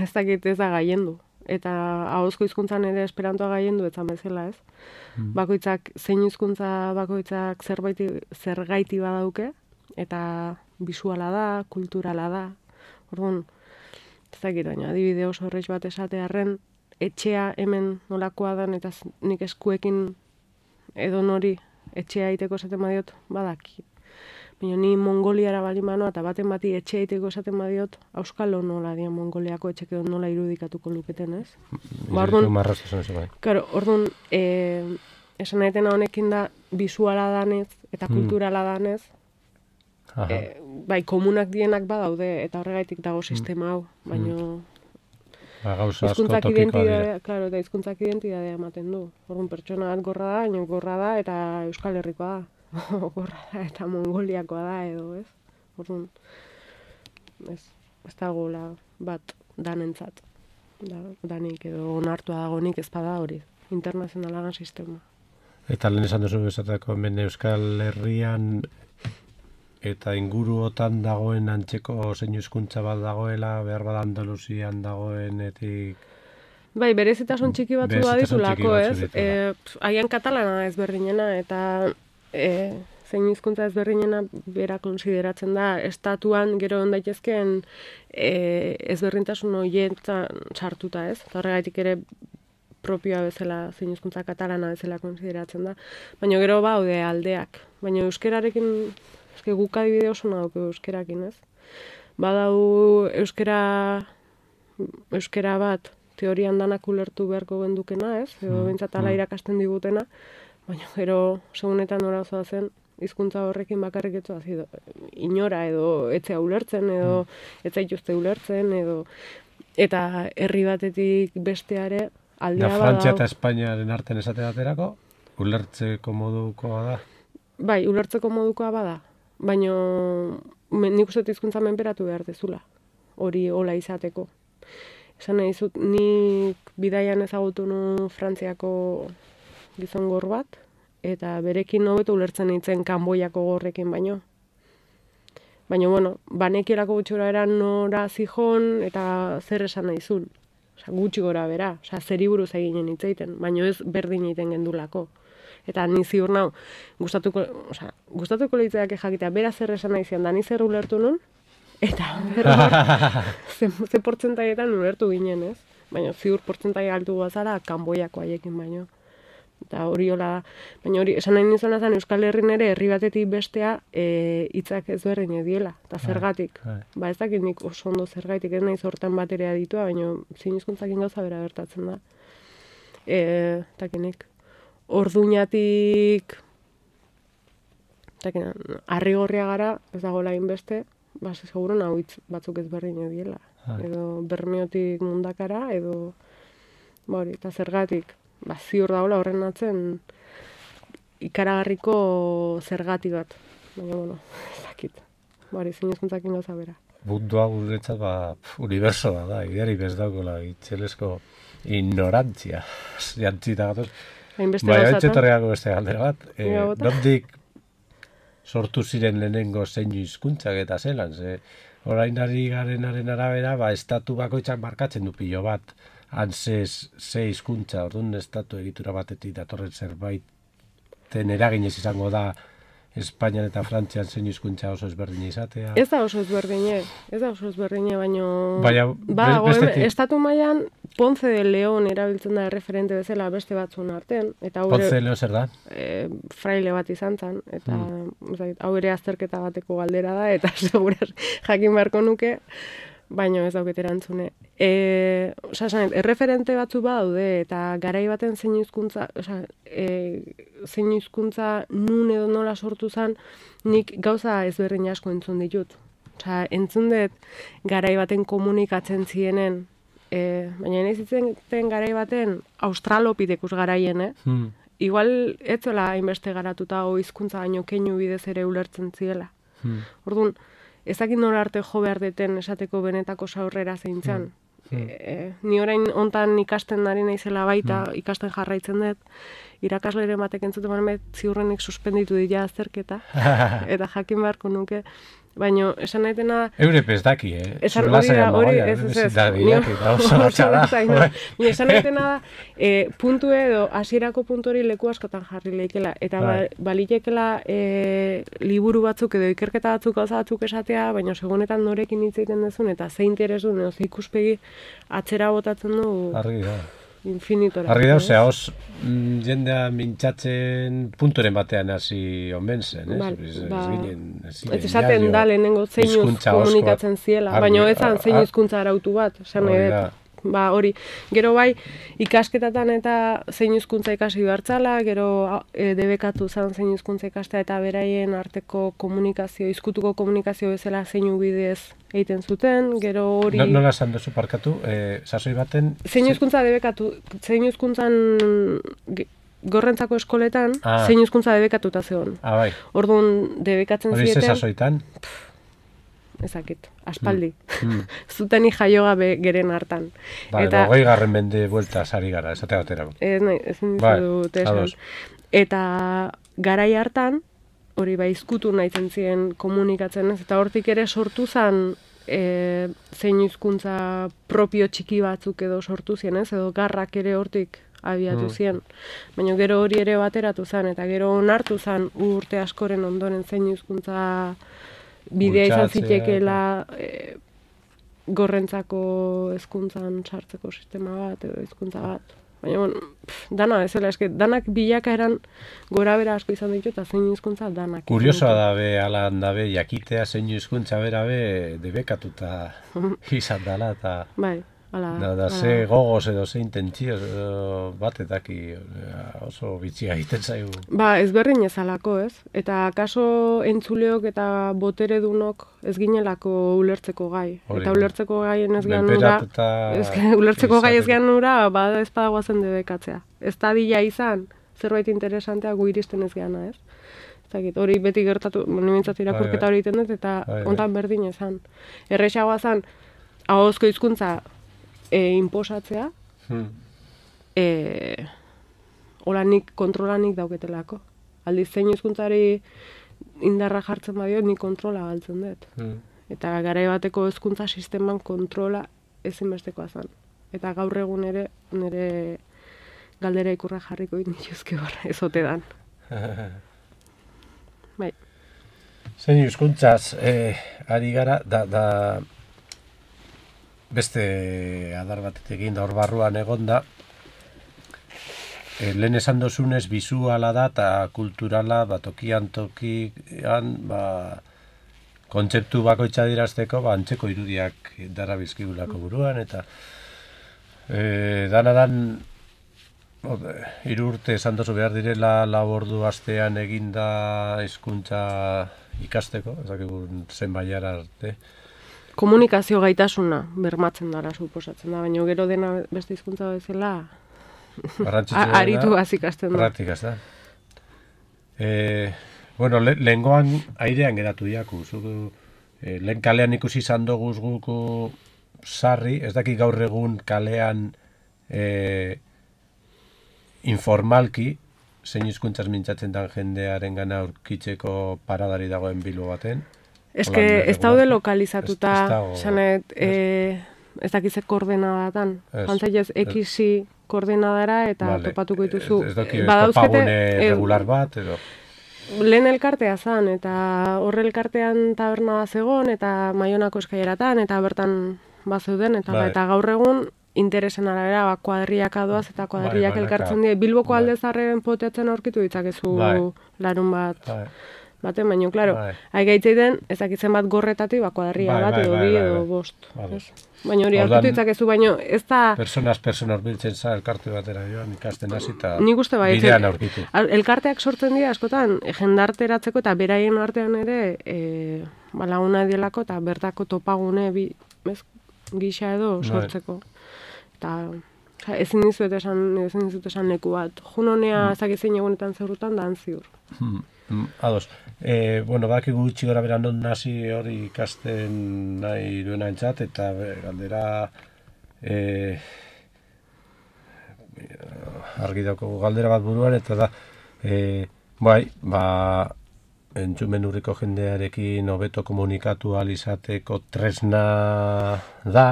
ez dakit ez da gaiendu. Eta ahozko hizkuntzan ere esperantoa gaiendu etzan bezala, ez? Mm. Bakoitzak, zein hizkuntza bakoitzak zerbaiti, zergaiti badauke, eta bisuala da, kulturala da. Orduan, ez dakit, baina adibide oso horreiz bat esatearren, etxea hemen nolakoa dan, eta nik eskuekin edo nori etxea iteko esaten badiot, badaki. Baina ni Mongoliara bali manoa, eta baten bati etxea iteko esaten badiot, auskalo nola dian Mongoliako etxek edo nola irudikatuko luketen, ez? Ba, orduan, claro, orduan, e, esan nahetena honekin da, bisuala danez, eta kulturala danez, E, bai, komunak dienak badaude, eta horregaitik dago sistema hau, baina ba, gauza asko topikoa dira. Claro, eta hizkuntzak identitatea ematen du. Orduan pertsona bat gorra da, baina gorra da, eta Euskal Herrikoa da. Gorra da, eta Mongoliakoa da, edo, ez? Orduan, ez, ez dagoela bat danentzat. Da, danik edo onartua dagonik ez bada hori, internazionalagan sistema. Eta lehen esan duzu bezatako hemen Euskal Herrian eta inguruotan dagoen antzeko zein hizkuntza bat dagoela, behar bada Andaluzian dagoenetik... Bai, berezitasun txiki batzu baditulako, ez? E, Haian katalana ezberdinena, eta e, zein hizkuntza ezberdinena bera konsideratzen da, estatuan gero ondaitezkeen e, ezberdintasun horietan sartuta, ez? Eta horregaitik ere propioa bezala, zein hizkuntza katalana bezala konsideratzen da. Baina gero baude aldeak. Baina euskerarekin... Eske guk adibide oso nauk euskerakin, ez? Badau euskera, euskera bat teorian danak ulertu beharko gendukena, ez? Edo behintzat ala irakasten digutena, baina gero segunetan orazoa zen, hizkuntza horrekin bakarrik etzoa zido. Inora edo etzea ulertzen, edo etzea ituzte ulertzen, edo eta herri batetik besteare aldea badau. Frantzia eta Espainiaren arten esate baterako, ulertzeko modukoa da? Bai, ulertzeko modukoa bada. Baina nik uste hizkuntza menperatu behar dezula, hori hola izateko. Esan nahi zut, nik bidaian ezagutu nu Frantziako gizon gor bat, eta berekin hobeto ulertzen nintzen Kanboiako gorrekin baino. Baina, bueno, banekielako gutxora eran nora zijon eta zer esan nahi zun. Osa, gutxi gora bera, osa, zeri buruz eginen hitzeiten, baina ez berdin egiten gendulako. Eta ni ziur nau, gustatuko, osea, gustatuko litzaidake jakitea, bera zer esan nahi zian, da ni zer ulertu nun, eta ze, ze portzentaietan ulertu ginen, ez? Baina ziur portzentaie altu bazara, Kanboiako haiekin baino. Eta hori hola da. Baina hori, esan nahi nizuna zen, Euskal Herrin ere herri batetik bestea e, hitzak ezberdin ediela, eta zergatik. Ba ez dakit nik oso ondo zergatik, ez nahi zortan baterea ditua, baina zein hizkuntzakin gauza bera gertatzen da. E, takinik. Orduñatik Arrigorria gara, ez dago lain beste, ba, seguro nahu hitz batzuk ezberdin ediela. Edo Bermeotik Mundakara, edo ba hori, eta zergatik, ba, ziur dagoela horren atzen ikaragarriko zergati bat. Baina, bueno, ez dakit. Ba hori, zein hizkuntzakin gauza bera. Mundu hau guretzat, ba, uniberso da, da, ideari bez daukola, itxelesko ignorantzia. Jantzita gatoz. Bai, haitxe torreako beste galdera bat. E, Nondik sortu ziren lehenengo zein hizkuntzak eta zelan, ze orain ari garenaren arabera, ba, estatu bakoitzak markatzen du pilo bat, han ze, ze hizkuntza, orduan estatu egitura batetik datorren zerbait, ten eraginez izango da Espainian eta Frantzian zein hizkuntza oso ezberdina izatea. Ez da oso ezberdine, ez da oso ezberdine, baino... Baina, ba, bestetik. Estatu mailan Ponce de León erabiltzen da referente bezala beste batzuen artean. Eta Ponce de León zer da? E, fraile bat izan zen, eta hmm. hau ere azterketa bateko galdera da, eta seguraz jakin beharko nuke, baino ez dauket erantzune. E, osa, esan, erreferente batzu badaude, eta garai baten zein hizkuntza, osa, e, zein hizkuntza nun edo nola sortu zen, nik gauza ezberdin asko entzun ditut. Osa, entzun dut garai baten komunikatzen zienen, e, baina nahi zitzen garai baten australopidekus garaien, eh? Hmm. Igual ez zola hainbeste garatuta o hizkuntza baino keinu bidez ere ulertzen ziela. Hmm. Orduan, ezakit nola arte jo behar deten esateko benetako saurrera zeintzan. Hmm. E, ni orain hontan ikasten ari naizela baita, hmm. ikasten jarraitzen dut, irakasleren batek entzuten banet ziurrenik suspenditu dira azterketa, eta jakin beharko nuke. Baina, esan nahi dena... Eure pez daki, eh? Esan hori da, hori, ez, ez, ez. Esan nahi dena da, puntu edo, hasierako puntu hori leku askotan jarri lehikela. Eta ba, balitekela e, liburu batzuk edo ikerketa batzuk gauza batzuk esatea, baina segunetan norekin hitz egiten duzun, eta ze interes du, edo ze ikuspegi atzera botatzen du... Argi da. Infinitora. Argi da, osea, os mm, jendea mintzatzen punturen batean hasi omen zen, eh? Ba, ez, ba, ez ginen, ez ginen, ez esaten da lehenengo zeinuz komunikatzen ziela, baina ez zan zein hizkuntza arautu bat, esan nahi dut. Ba, hori, gero bai, ikasketatan eta zein hizkuntza ikasi behartzala, gero e, debekatu zan zein hizkuntza ikastea eta beraien arteko komunikazio, izkutuko komunikazio bezala zeinu bidez egiten zuten, gero hori... No, nola esan duzu parkatu, e, sasoi baten... Zein hizkuntza debekatu, zein hizkuntzan gorrentzako eskoletan, ah. zein hizkuntza debekatuta zegoen. Ah, bai. Orduan, debekatzen hori zieten... Hori ze sasoitan? Ezakit, aspaldi. Mm. Zuten jaio gabe geren hartan. Ba, eta hogei garren mende buelta sari gara, esate batera. Ez nahi, ez dut esan. Eta garai hartan, hori bai izkutu nahitzen ziren komunikatzen ez, eta hortik ere sortu zen e, zein hizkuntza propio txiki batzuk edo sortu ziren ez, edo garrak ere hortik abiatu mm. ziren. Baina gero hori ere bateratu zen, eta gero onartu zen urte askoren ondoren zein hizkuntza bidea izan zitekeela e, gorrentzako hezkuntzan sartzeko sistema bat edo hizkuntza bat. Baina, bon, pff, dana, ezela, eske, danak bilaka eran gora bera asko izan ditu eta zein hizkuntza danak. Kuriosoa dabe, alan dabe, jakitea zein hizkuntza bera be, debekatuta izan dala, eta... Bai. Ala, da, da, ze gogoz edo ze intentzio batetaki oso bitxia egiten zaigu. Ba, ezberdin ezalako, ez? Eta kaso entzuleok eta botere dunok ez ginelako ulertzeko gai. Hori, eta ulertzeko gaien ez gehan nura, ulertzeko gai ez gehan nura, bada ez padagoazen debekatzea. Ez da dila izan, zerbait interesantea gu iristen ez gehana, ez? Zakit, hori beti gertatu, nimentzat irakurketa hori egiten dut, eta ontan berdin ezan. Errexagoa zan, ahozko hizkuntza E, inposatzea, hmm. e, hola nik kontrola nik dauketelako. Aldiz zein hizkuntzari indarra jartzen badio, nik kontrola galtzen dut. Hmm. Eta garai bateko hezkuntza sisteman kontrola ezinbestekoa zen. Eta gaur egun ere, nire galdera ikurra jarriko dituzke hor, ez ote dan. Bai. Zein hizkuntzaz, eh, ari gara, da... da... beste adar batetekin da hor barruan egonda, e, lehen esan dozunez bizuala da eta kulturala, ba, tokian tokian, ba, kontzeptu bakoitza dirazteko, ba, antzeko irudiak dara bizkigulako buruan, eta e, danadan hiru urte esan dozu behar direla labordu astean eginda hizkuntza ikasteko, ez dakigun zen baiara arte, komunikazio gaitasuna bermatzen dara suposatzen da, baina gero dena beste hizkuntza bezala aritu azikasten da. Praktikaz da. E, bueno, le, lehengoan airean geratu diaku. Zugu, e, lehen kalean ikusi izan doguz guku sarri, ez daki gaur egun kalean e, informalki, zein hizkuntzaz mintzatzen dan jendearen gana aurkitzeko paradari dagoen Bilbo baten. Ez que ez daude lokalizatuta, sanet, eh, ez dakize koordenadatan. Jantzaiez, X-i koordenadara eta vale. Topatuko dituzu. Ez daki topagune regular bat, edo? Lehen elkartea zan, eta horre elkartean taberna bat zegoen, eta Maionako eskaileratan, eta bertan bazeuden, eta, vale. Eta gaur egun interesen arabera, ba, kuadriak adoaz eta kuadriak vale, elkartzen dira. Bilboko vale. Alde zarren poteatzen aurkitu ditzakezu vale. Larun bat. Vale. baten, baina, klaro, Bai. hai gaitzeiten, ezakitzen bat gorretatik, ba, kuadrilla Bai, bat, bai, edo bai, bi, bai, edo bai. bost. Vale. Ez? Baina hori Ordan- hartu ditzakezu, baina ez da... Personas, personas biltzen za, elkarte batera joan, ikasten hasi eta Nik uste bai, bidean aurkitu. Al- elkarteak sortzen dira askotan e, jendarteratzeko eta beraien artean ere e, ba, laguna dielako eta bertako topagune bi, ez, gisa edo Bai. sortzeko. Eta oza, ezin dizuet esan, ezin dizuet esan leku bat. Junonea mm. ezakizein egunetan zeurutan da ziur. Hmm, hmm, ados. E, bueno, badakigu gutxi gora beran non hasi hori ikasten nahi duena entzat, eta be, galdera e, argi daukagu galdera bat buruan, eta da, e, bai, ba, entzumen urriko jendearekin hobeto komunikatu ahal izateko tresna da,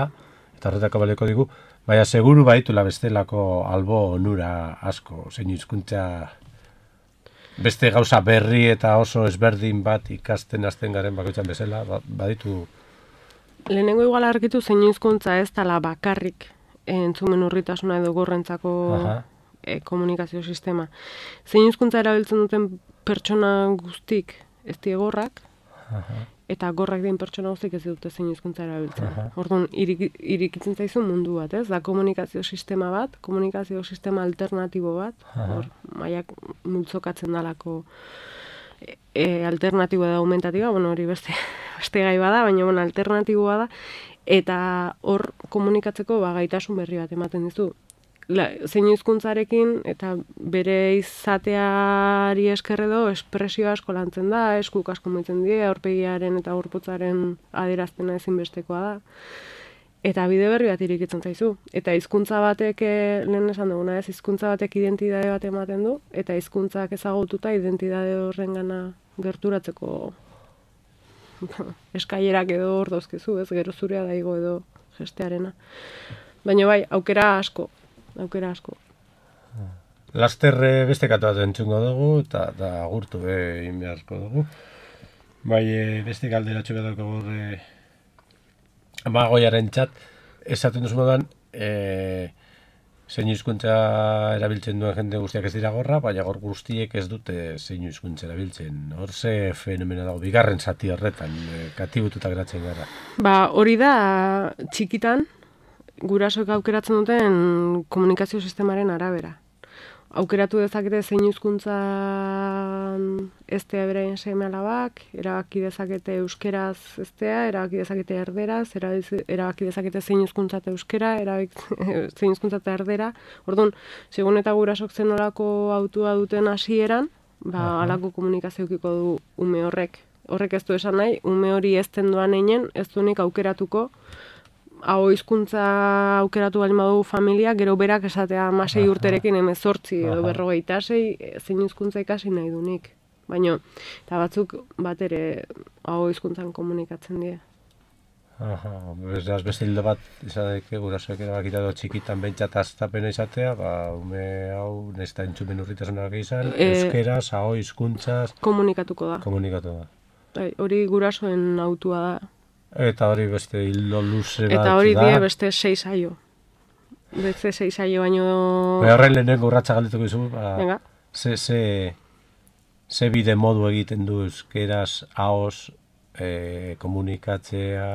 eta horretako baleko digu, baina seguru baitula bestelako albo onura asko, zein hizkuntza beste gauza berri eta oso ezberdin bat ikasten hasten garen bakoitzan bezala, ba, baditu... Lehenengo igual argitu zein hizkuntza ez dela bakarrik entzumen urritasuna edo gorrentzako e, komunikazio sistema. Zein hizkuntza erabiltzen duten pertsona guztik ez die gorrak, Aha. eta gorrak den pertsona guztik ez dute zein hizkuntza erabiltzen. Aha. Orduan, irik, irikitzen zaizu mundu bat, ez? Da komunikazio sistema bat, komunikazio sistema alternatibo bat, Aha. hor, maiak multzokatzen dalako e, e, alternatiboa da aumentatiboa, bueno, hori beste, beste gai bada, baina bueno, alternatiboa da, eta hor komunikatzeko ba, gaitasun berri bat ematen dizu. La, zein hizkuntzarekin eta bere izateari esker edo espresio asko lantzen da, eskuk asko mugitzen die, aurpegiaren eta gorputzaren adierazpena ezinbestekoa da. Eta bide berri bat irikitzen zaizu. Eta hizkuntza batek, eh, lehen esan duguna ez, hizkuntza batek identitate bat ematen du, eta hizkuntzak ezagututa identitate horrengana gerturatzeko eskailerak edo hor dauzkezu, ez, gero zurea daigo edo gestearena. Baina bai, aukera asko. aukera asko. Laster eh, beste katu bat entzungo dugu, eta da agurtu be egin beharko dugu. Bai, eh, beste galderatxo bat daukagu eh, Amagoiaren txat, esaten duzu moduan, eh, zein hizkuntza erabiltzen duen jende guztiak ez dira gorra, baina gor guztiek ez dute zein hizkuntza erabiltzen. Hor ze fenomeno dago, bigarren zati horretan, eh, katibututa geratzen gara. Ba, hori da txikitan, gurasoek aukeratzen duten komunikazio sistemaren arabera. Aukeratu dezakete zein hizkuntza eztea beraien seme-alabak, erabaki dezakete euskeraz eztea, erabaki dezakete erderaz, erabaki dezakete zein hizkuntza eta euskera, erabaki zein hizkuntza eta erdera. Orduan, segun eta gurasok zen nolako autua duten hasieran, ba, halako komunikazioekiko du ume horrek. Horrek ez du esan nahi, ume hori ezten doan einen, ez duenik aukeratuko, hau hizkuntza aukeratu baldin badugu familia, gero berak esatea hamasei urterekin hemezortzi edo berrogeita sei, zein hizkuntza ikasi nahi dunik. Baina, eta batzuk bat ere hau hizkuntzan komunikatzen die. Aha, beraz beste hildo bat izadeke gurasoek erabakita edo txikitan behintzat astapena izatea, ba, ume hau nesta entzumen urritasunak izan, E, euskeraz, hau hizkuntzaz Komunikatuko da. komunikatu da. Bai, hori gurasoen autua da. Eta hori beste hildo luze bat da. Eta hori die beste sei saio. Beste sei saio baino... Baina horren lehenengo urratsa galdetuko dizu, ba, Venga. ze, ze, ze bide modu egiten du euskeraz, ahoz, e, komunikatzea,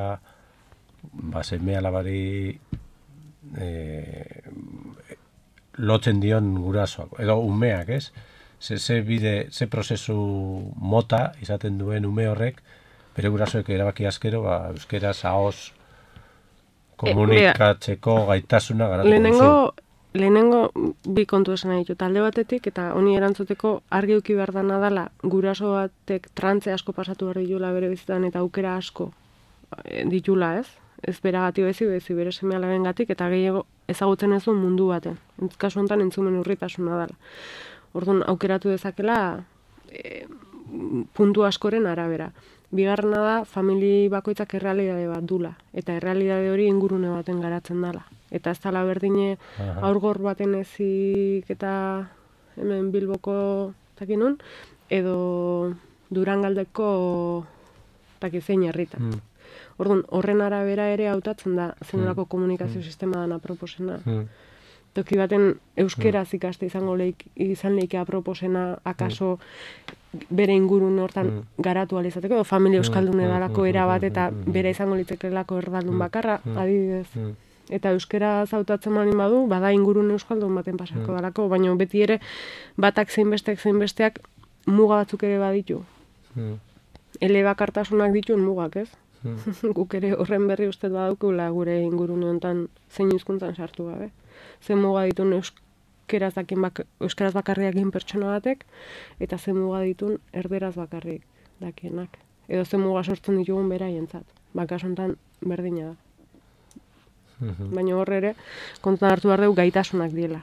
ba, seme alabari e, lotzen dion gurasoak, edo umeak, ez? Ze, ze bide, ze prozesu mota izaten duen ume horrek, bere gurasoek erabaki askero, ba, euskeraz, ahoz, komunikatzeko gaitasuna garatuko Lehenengo, duzu. lehenengo bi kontu esan nahi ditut. Talde batetik, eta honi erantzuteko argi uki behar dana dala, guraso batek trantze asko pasatu behar ditula bere bizitan eta aukera asko eh, ditula, ez? Ez beragatik bezi, bezi bere seme alabengatik, eta gehiago ezagutzen ez du mundu baten. Entz kasu honetan entzumen urritasuna dala. Orduan aukeratu dezakela e, puntu askoren arabera. Bigarrena da, famili bakoitzak errealidade bat dula, eta errealidade hori ingurune baten garatzen dala. Eta ez dala berdine aurgor baten ezik eta hemen Bilboko takinun, edo Durangaldeko takizein herritan. Mm. Orduan, horren arabera ere hautatzen da zenolako komunikazio sistema dana proposena. Mm. toki baten euskeraz ikaste izango leik, izan leike aproposena, akaso bere ingurun hortan garatu alizateko, edo familia euskaldun edalako erabat, eta bere izango litzekelako erdaldun bakarra, adibidez. Eta euskera zautatzen baldin badu, bada ingurun euskaldun baten pasako dalako, baina beti ere batak zeinbesteak zeinbesteak muga batzuk ere baditu. Elebakartasunak dituen mugak, ez? Guk ere horren berri uste badaukula gure ingurune honetan zein hizkuntzan sartu gabe. Zen muga ditun euskeraz, dakin bak, euskaraz bakarriakin pertsona batek, eta zen muga ditun erderaz bakarrik dakienak. Edo zen muga sortzen ditugun beraientzat. Bakas honetan berdina da. Baina horre ere, kontuan hartu behar dugu gaitasunak diela.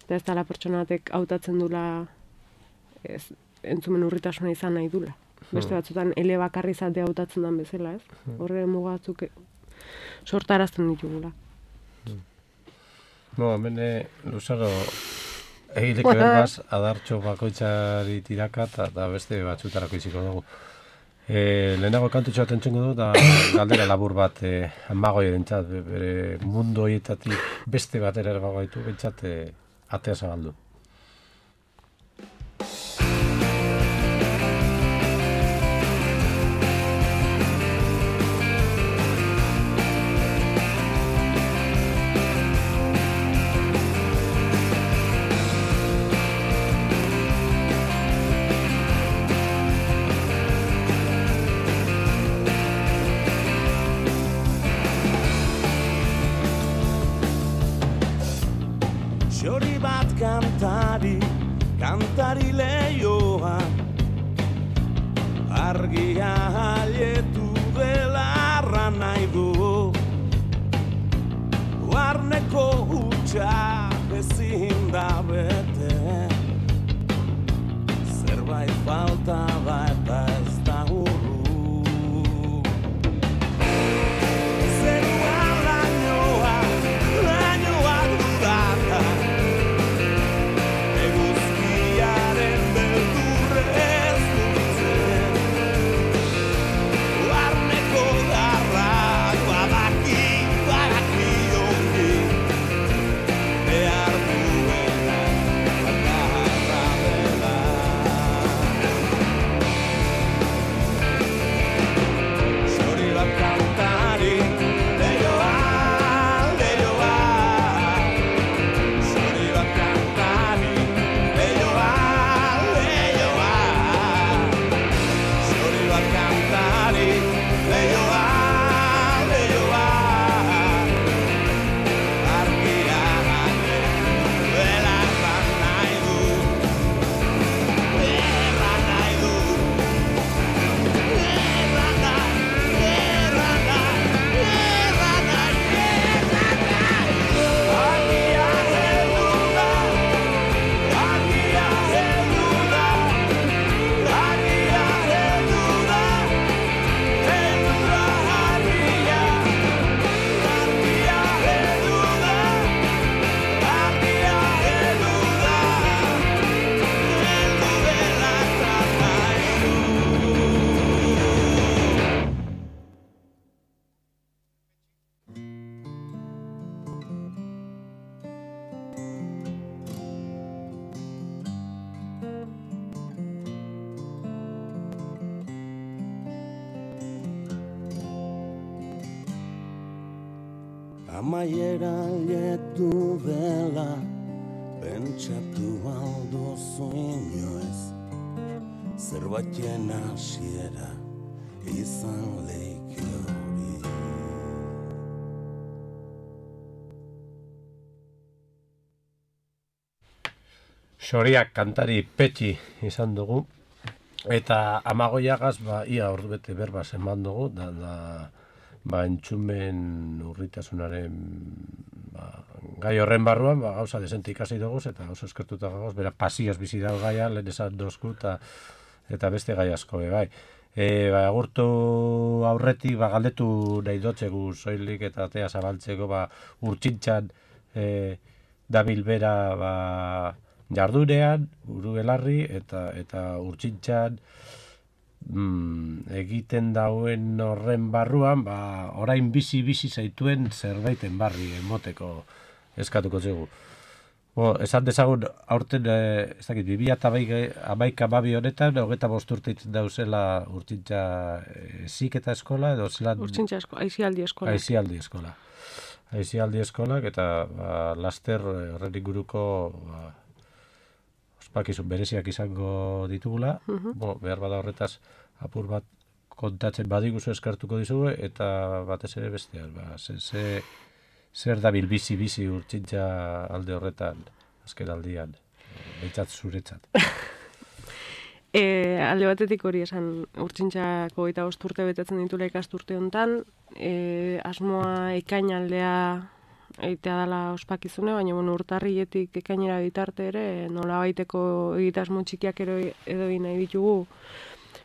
Eta ez dela pertsona batek hautatzen dula ez, entzumen urritasuna izan nahi dula. Beste batzutan ele bakarri izatea hautatzen den bezala, ez? Horre muga batzuk sortarazten ditugula. No, hemen luzaro egileko berbaz adartxo bakoitzari tiraka eta beste batzutarako iziko dugu. E, lehenago kantutxo bat entzengo du, da galdera labur bat e, amagoi edentzat, bere mundu horietatik beste batera erabagaitu, bentsat e, atea zabaldu. Kantari, kantari lehioa, argia haietu belarra nahi du. Barneko hutsa ezin da bete, zerbait falta da eta ez da urru. Zeruan lainoa, lainoa dudata, amaiera letu dela, pentsatu alduzu inoez, zerbaiten hasiera izan leike hori. Xoriak kantari petxi izan dugu, eta amagoiagaz, ba, ia ordu bete berbaz eman dugu, da, da ba, entzumen urritasunaren ba, gai horren barruan, ba, gauza desente ikasi dugu, eta oso eskertuta gagoz, bera pasioz bizi dago gaia, lehen esan dozku, eta, eta beste gai asko, be, bai. E, ba, agurtu aurretik, ba, galdetu nahi dotzegu soilik eta atea zabaltzeko, ba, urtsintxan e, dabil bera, ba, jardurean, buru belarri, eta, eta urtsintxan, Mm, egiten dauen horren barruan, ba, orain bizi-bizi zaituen zerbaiten barri emoteko eskatuko zegu. Bo, esan dezagun, aurten, eh, ez dakit, bibia eta hamaika babi honetan, hogeita bost urte dauzela urtsintza eh, ziketa eskola, edo zelan... Urtsintza eskola, aizialdi eskola. Aizialdi eskola. Aizialdi eskolak, eta ba, laster horren inguruko ba, ospakizun bereziak izango ditugula. Uh-huh. Bo, behar bada horretaz apur bat kontatzen badiguzu eskartuko dizugu, eta batez ere bestean, ba, ze... ze zer dabil bizi-bizi urtsintza alde horretan, azken aldian, behintzat zuretzat? e, alde batetik hori esan, urtsintzako eta bost urte betetzen ditula ikasturte honetan, e, asmoa ekain aldea egitea dela ospakizune, baina bueno, urtarrietik ekainera bitarte ere, nola baiteko egitasmo txikiak ero, edo nahi ditugu,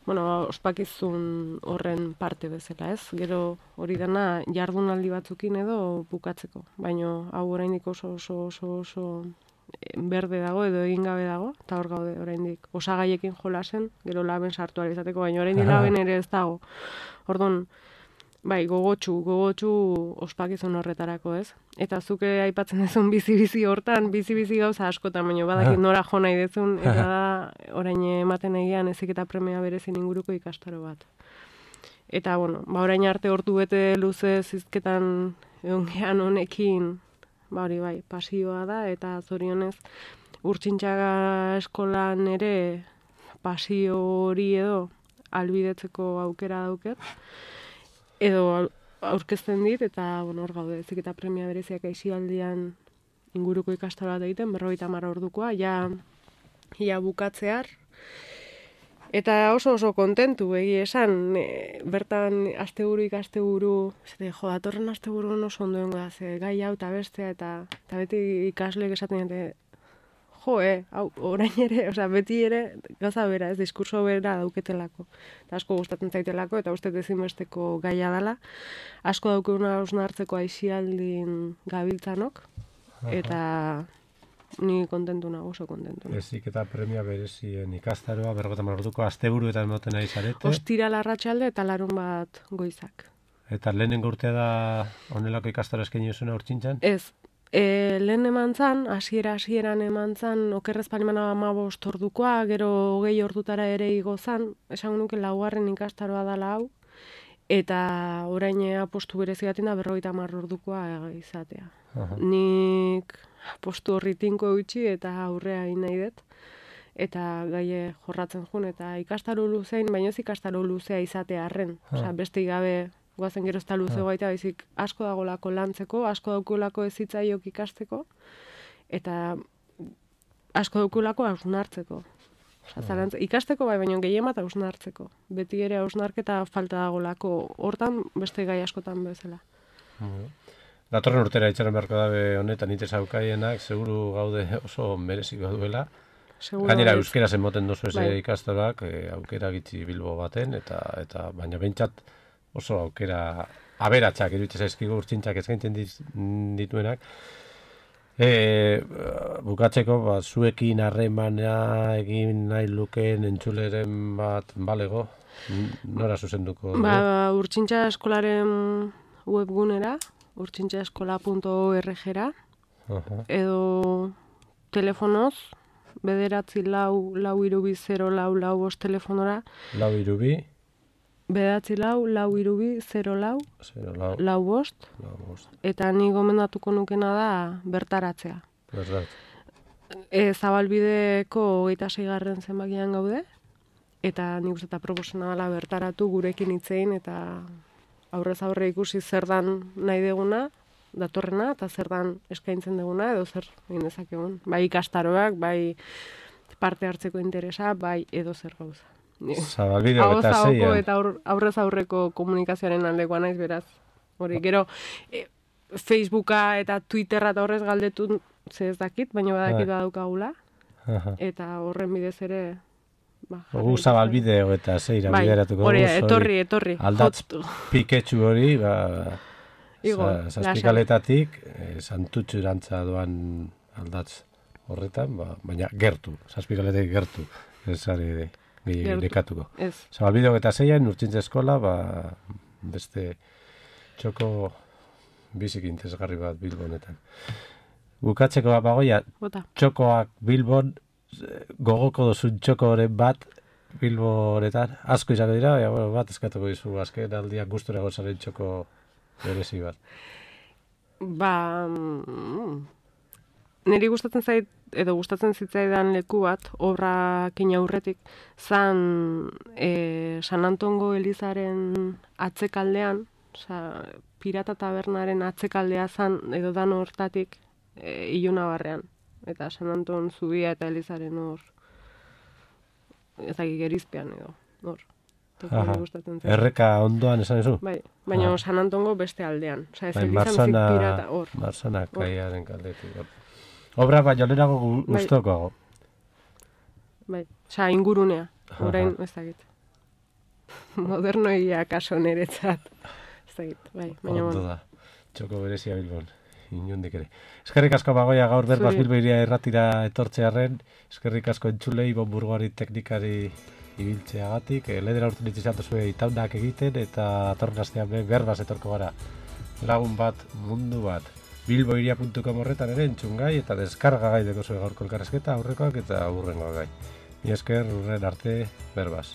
bueno, ospakizun horren parte bezala, ez? Gero hori dena jardunaldi batzukin edo bukatzeko. Baina hau oraindik oso oso oso oso berde dago edo egin gabe dago, eta hor gaude oraindik osagaiekin jolasen, gero laben sartu ahal izateko, baina oraindik laben ere ez dago. Orduan, bai, gogotsu, gogotsu ospakizun horretarako, ez? Eta zuke aipatzen duzun bizi-bizi hortan, bizi-bizi gauza askotan, baina badakit nora jo nahi dezun, eta da, orain ematen egian ezik eta premia berezin inguruko ikastaro bat. Eta, bueno, ba, orain arte hortu bete luze zizketan egongean honekin, ba, hori bai, pasioa da, eta zorionez, urtsintxaga eskolan ere pasio hori edo albidetzeko aukera dauket, edo aurkezten dit, eta bueno, hor gaude, ezik eta premia bereziak aizialdian inguruko ikastaro bat egiten, berrogeita hamar ordukoa, ja, ja bukatzear. Eta oso oso kontentu, egi esan, e, bertan asteburu ikasteburu, zete, jo, datorren asteburu oso ondoengo da, ze gai hau eta bestea, eta, eta beti ikasleek esaten dute, jo, eh, hau, orain ere, osea, beti ere, gauza bera, ez, diskurso bera dauketelako. Eta asko gustatzen zaitelako, eta uste ezinbesteko gaia dela. Asko daukeguna hausnartzeko aizialdin gabiltzanok, eta ni kontentu nago, oso kontentu. Ezik eta premia berezien ikastaroa, berrogeita hamar orduko asteburuetan moten nahi zarete. Ostira larratsalde eta larun bat goizak. Eta lehenengo urtea da honelako ikastaro eskaini duzuna urtsintzan? Ez. E, lehen eman zan, hasiera hasieran eman zan, okerrez palimana hamabost ordukoa, gero hogei ordutara ere igo zan, esan nuke laugarren ikastaroa dala hau, eta orain apostu berezi batin da berrogeita hamar ordukoa izatea. Aha. Nik apostu horri tinko eutxi eta aurrea egin nahi dut, eta gaie jorratzen jun, eta ikastaro luzein, baina ez ikastaro luzea izatea arren, osea, beste gabe goazen gero ez da luze gaita, baizik asko dagolako lantzeko, asko daukulako ezitzaiok ikasteko, eta asko daukulako hausnartzeko. Osea, ikasteko bai, baina gehien bat hausnartzeko. Beti ere hausnarketa falta dagolako hortan, beste gai askotan bezala. Datorren urtera itxaron beharko dabe honetan itez aukaienak, seguru gaude oso mereziko duela. Seguro Gainera, euskeraz emoten dozu eze bai. Ikastorak, e, aukera gitzi Bilbo baten, eta, eta baina behintzat oso aukera aberatsak iruditzen zaizkigu urtsintzak eskaintzen dituenak. E, bukatzeko, ba, zuekin harremana egin nahi lukeen entzuleren bat balego, nora zuzenduko? Ba, urtsintza eskolaren webgunera, urtsintzaeskola puntu org-ra, edo telefonoz, bederatzi lau, lau irubi, zero lau, lau bost telefonora. Lau irubi? Bedatzi lau, lau irubi, zero lau, lau bost, eta ni gomendatuko nukena da bertaratzea. Bertat. E, zabalbideko hogeita seigarren zenbakian gaude, eta nik uste eta proposena dela bertaratu gurekin hitzein, eta aurrez aurre ikusi zer dan nahi deguna, datorrena, eta zer dan eskaintzen deguna, edo zer egin dezakegun. Bai ikastaroak, bai parte hartzeko interesa, bai edo zer gauza. Zabalbide eta zeian. Eta aurrez aurreko komunikazioaren aldekoa naiz beraz. Hori, gero, e, Facebooka eta Twitterra eta horrez galdetu ze ez dakit, baina badakit badaukagula. Eta horren bidez ere... Ba, Gu zabalbide eta zeira bai, bideratuko. Hori, etorri, etorri. Aldatz piketxu hori, ba, zazpikaletatik, e, santutxu erantza doan aldatz horretan, ba, baina gertu, zazpikaletatik gertu. Ez ari dekatuko. Zabalbide eta zeian, urtsintza eskola, ba, beste txoko bizik interesgarri bat Bilbo honetan. bukatzeko bagoia, Bota. txokoak Bilbon, gogoko duzun txokoren bat, Bilboretan, asko izango dira, ja, bueno, bat eskatuko dizu, azken aldiak gustura gozaren txoko berezi bat. Ba, mm, niri gustatzen zait, edo gustatzen zitzaidan leku bat, obrakin aurretik, zan e, San Antongo Elizaren atzekaldean, oza, Pirata Tabernaren atzekaldea zan, edo dan hortatik, e, Iluna barrean. Eta San Anton zubia eta Elizaren hor, ezagik gerizpean edo, hor. Aha, erreka ondoan esan ezu? Bai, baina ah. San Antongo beste aldean. Osa, ez bai, Elizan zik pirata, hor. Marsana kaiaren kaldetik. Obra baino lehenago gustokoago. Bai, osa, ingurunea, orain ez dakit. Modernoia kaso niretzat. Ez dakit, bai, baina ondo da, txoko berezia Bilbon. Inundik ere. Eskerrik asko bagoia gaur berbaz Bilbo iria erratira etortzearen, eskerrik asko entzulei bonburgoari teknikari ibiltzeagatik, e, ledera urten ditzizatu zuen itaunak egiten, eta atorren astean berbaz etorko gara. Lagun bat, mundu bat. bilboiria puntu com horretan ere entzungai eta deskargagai deko zuen gaurko elkarrezketa, aurrekoak eta aurrengoak gai. Mi esker urren arte berbaz.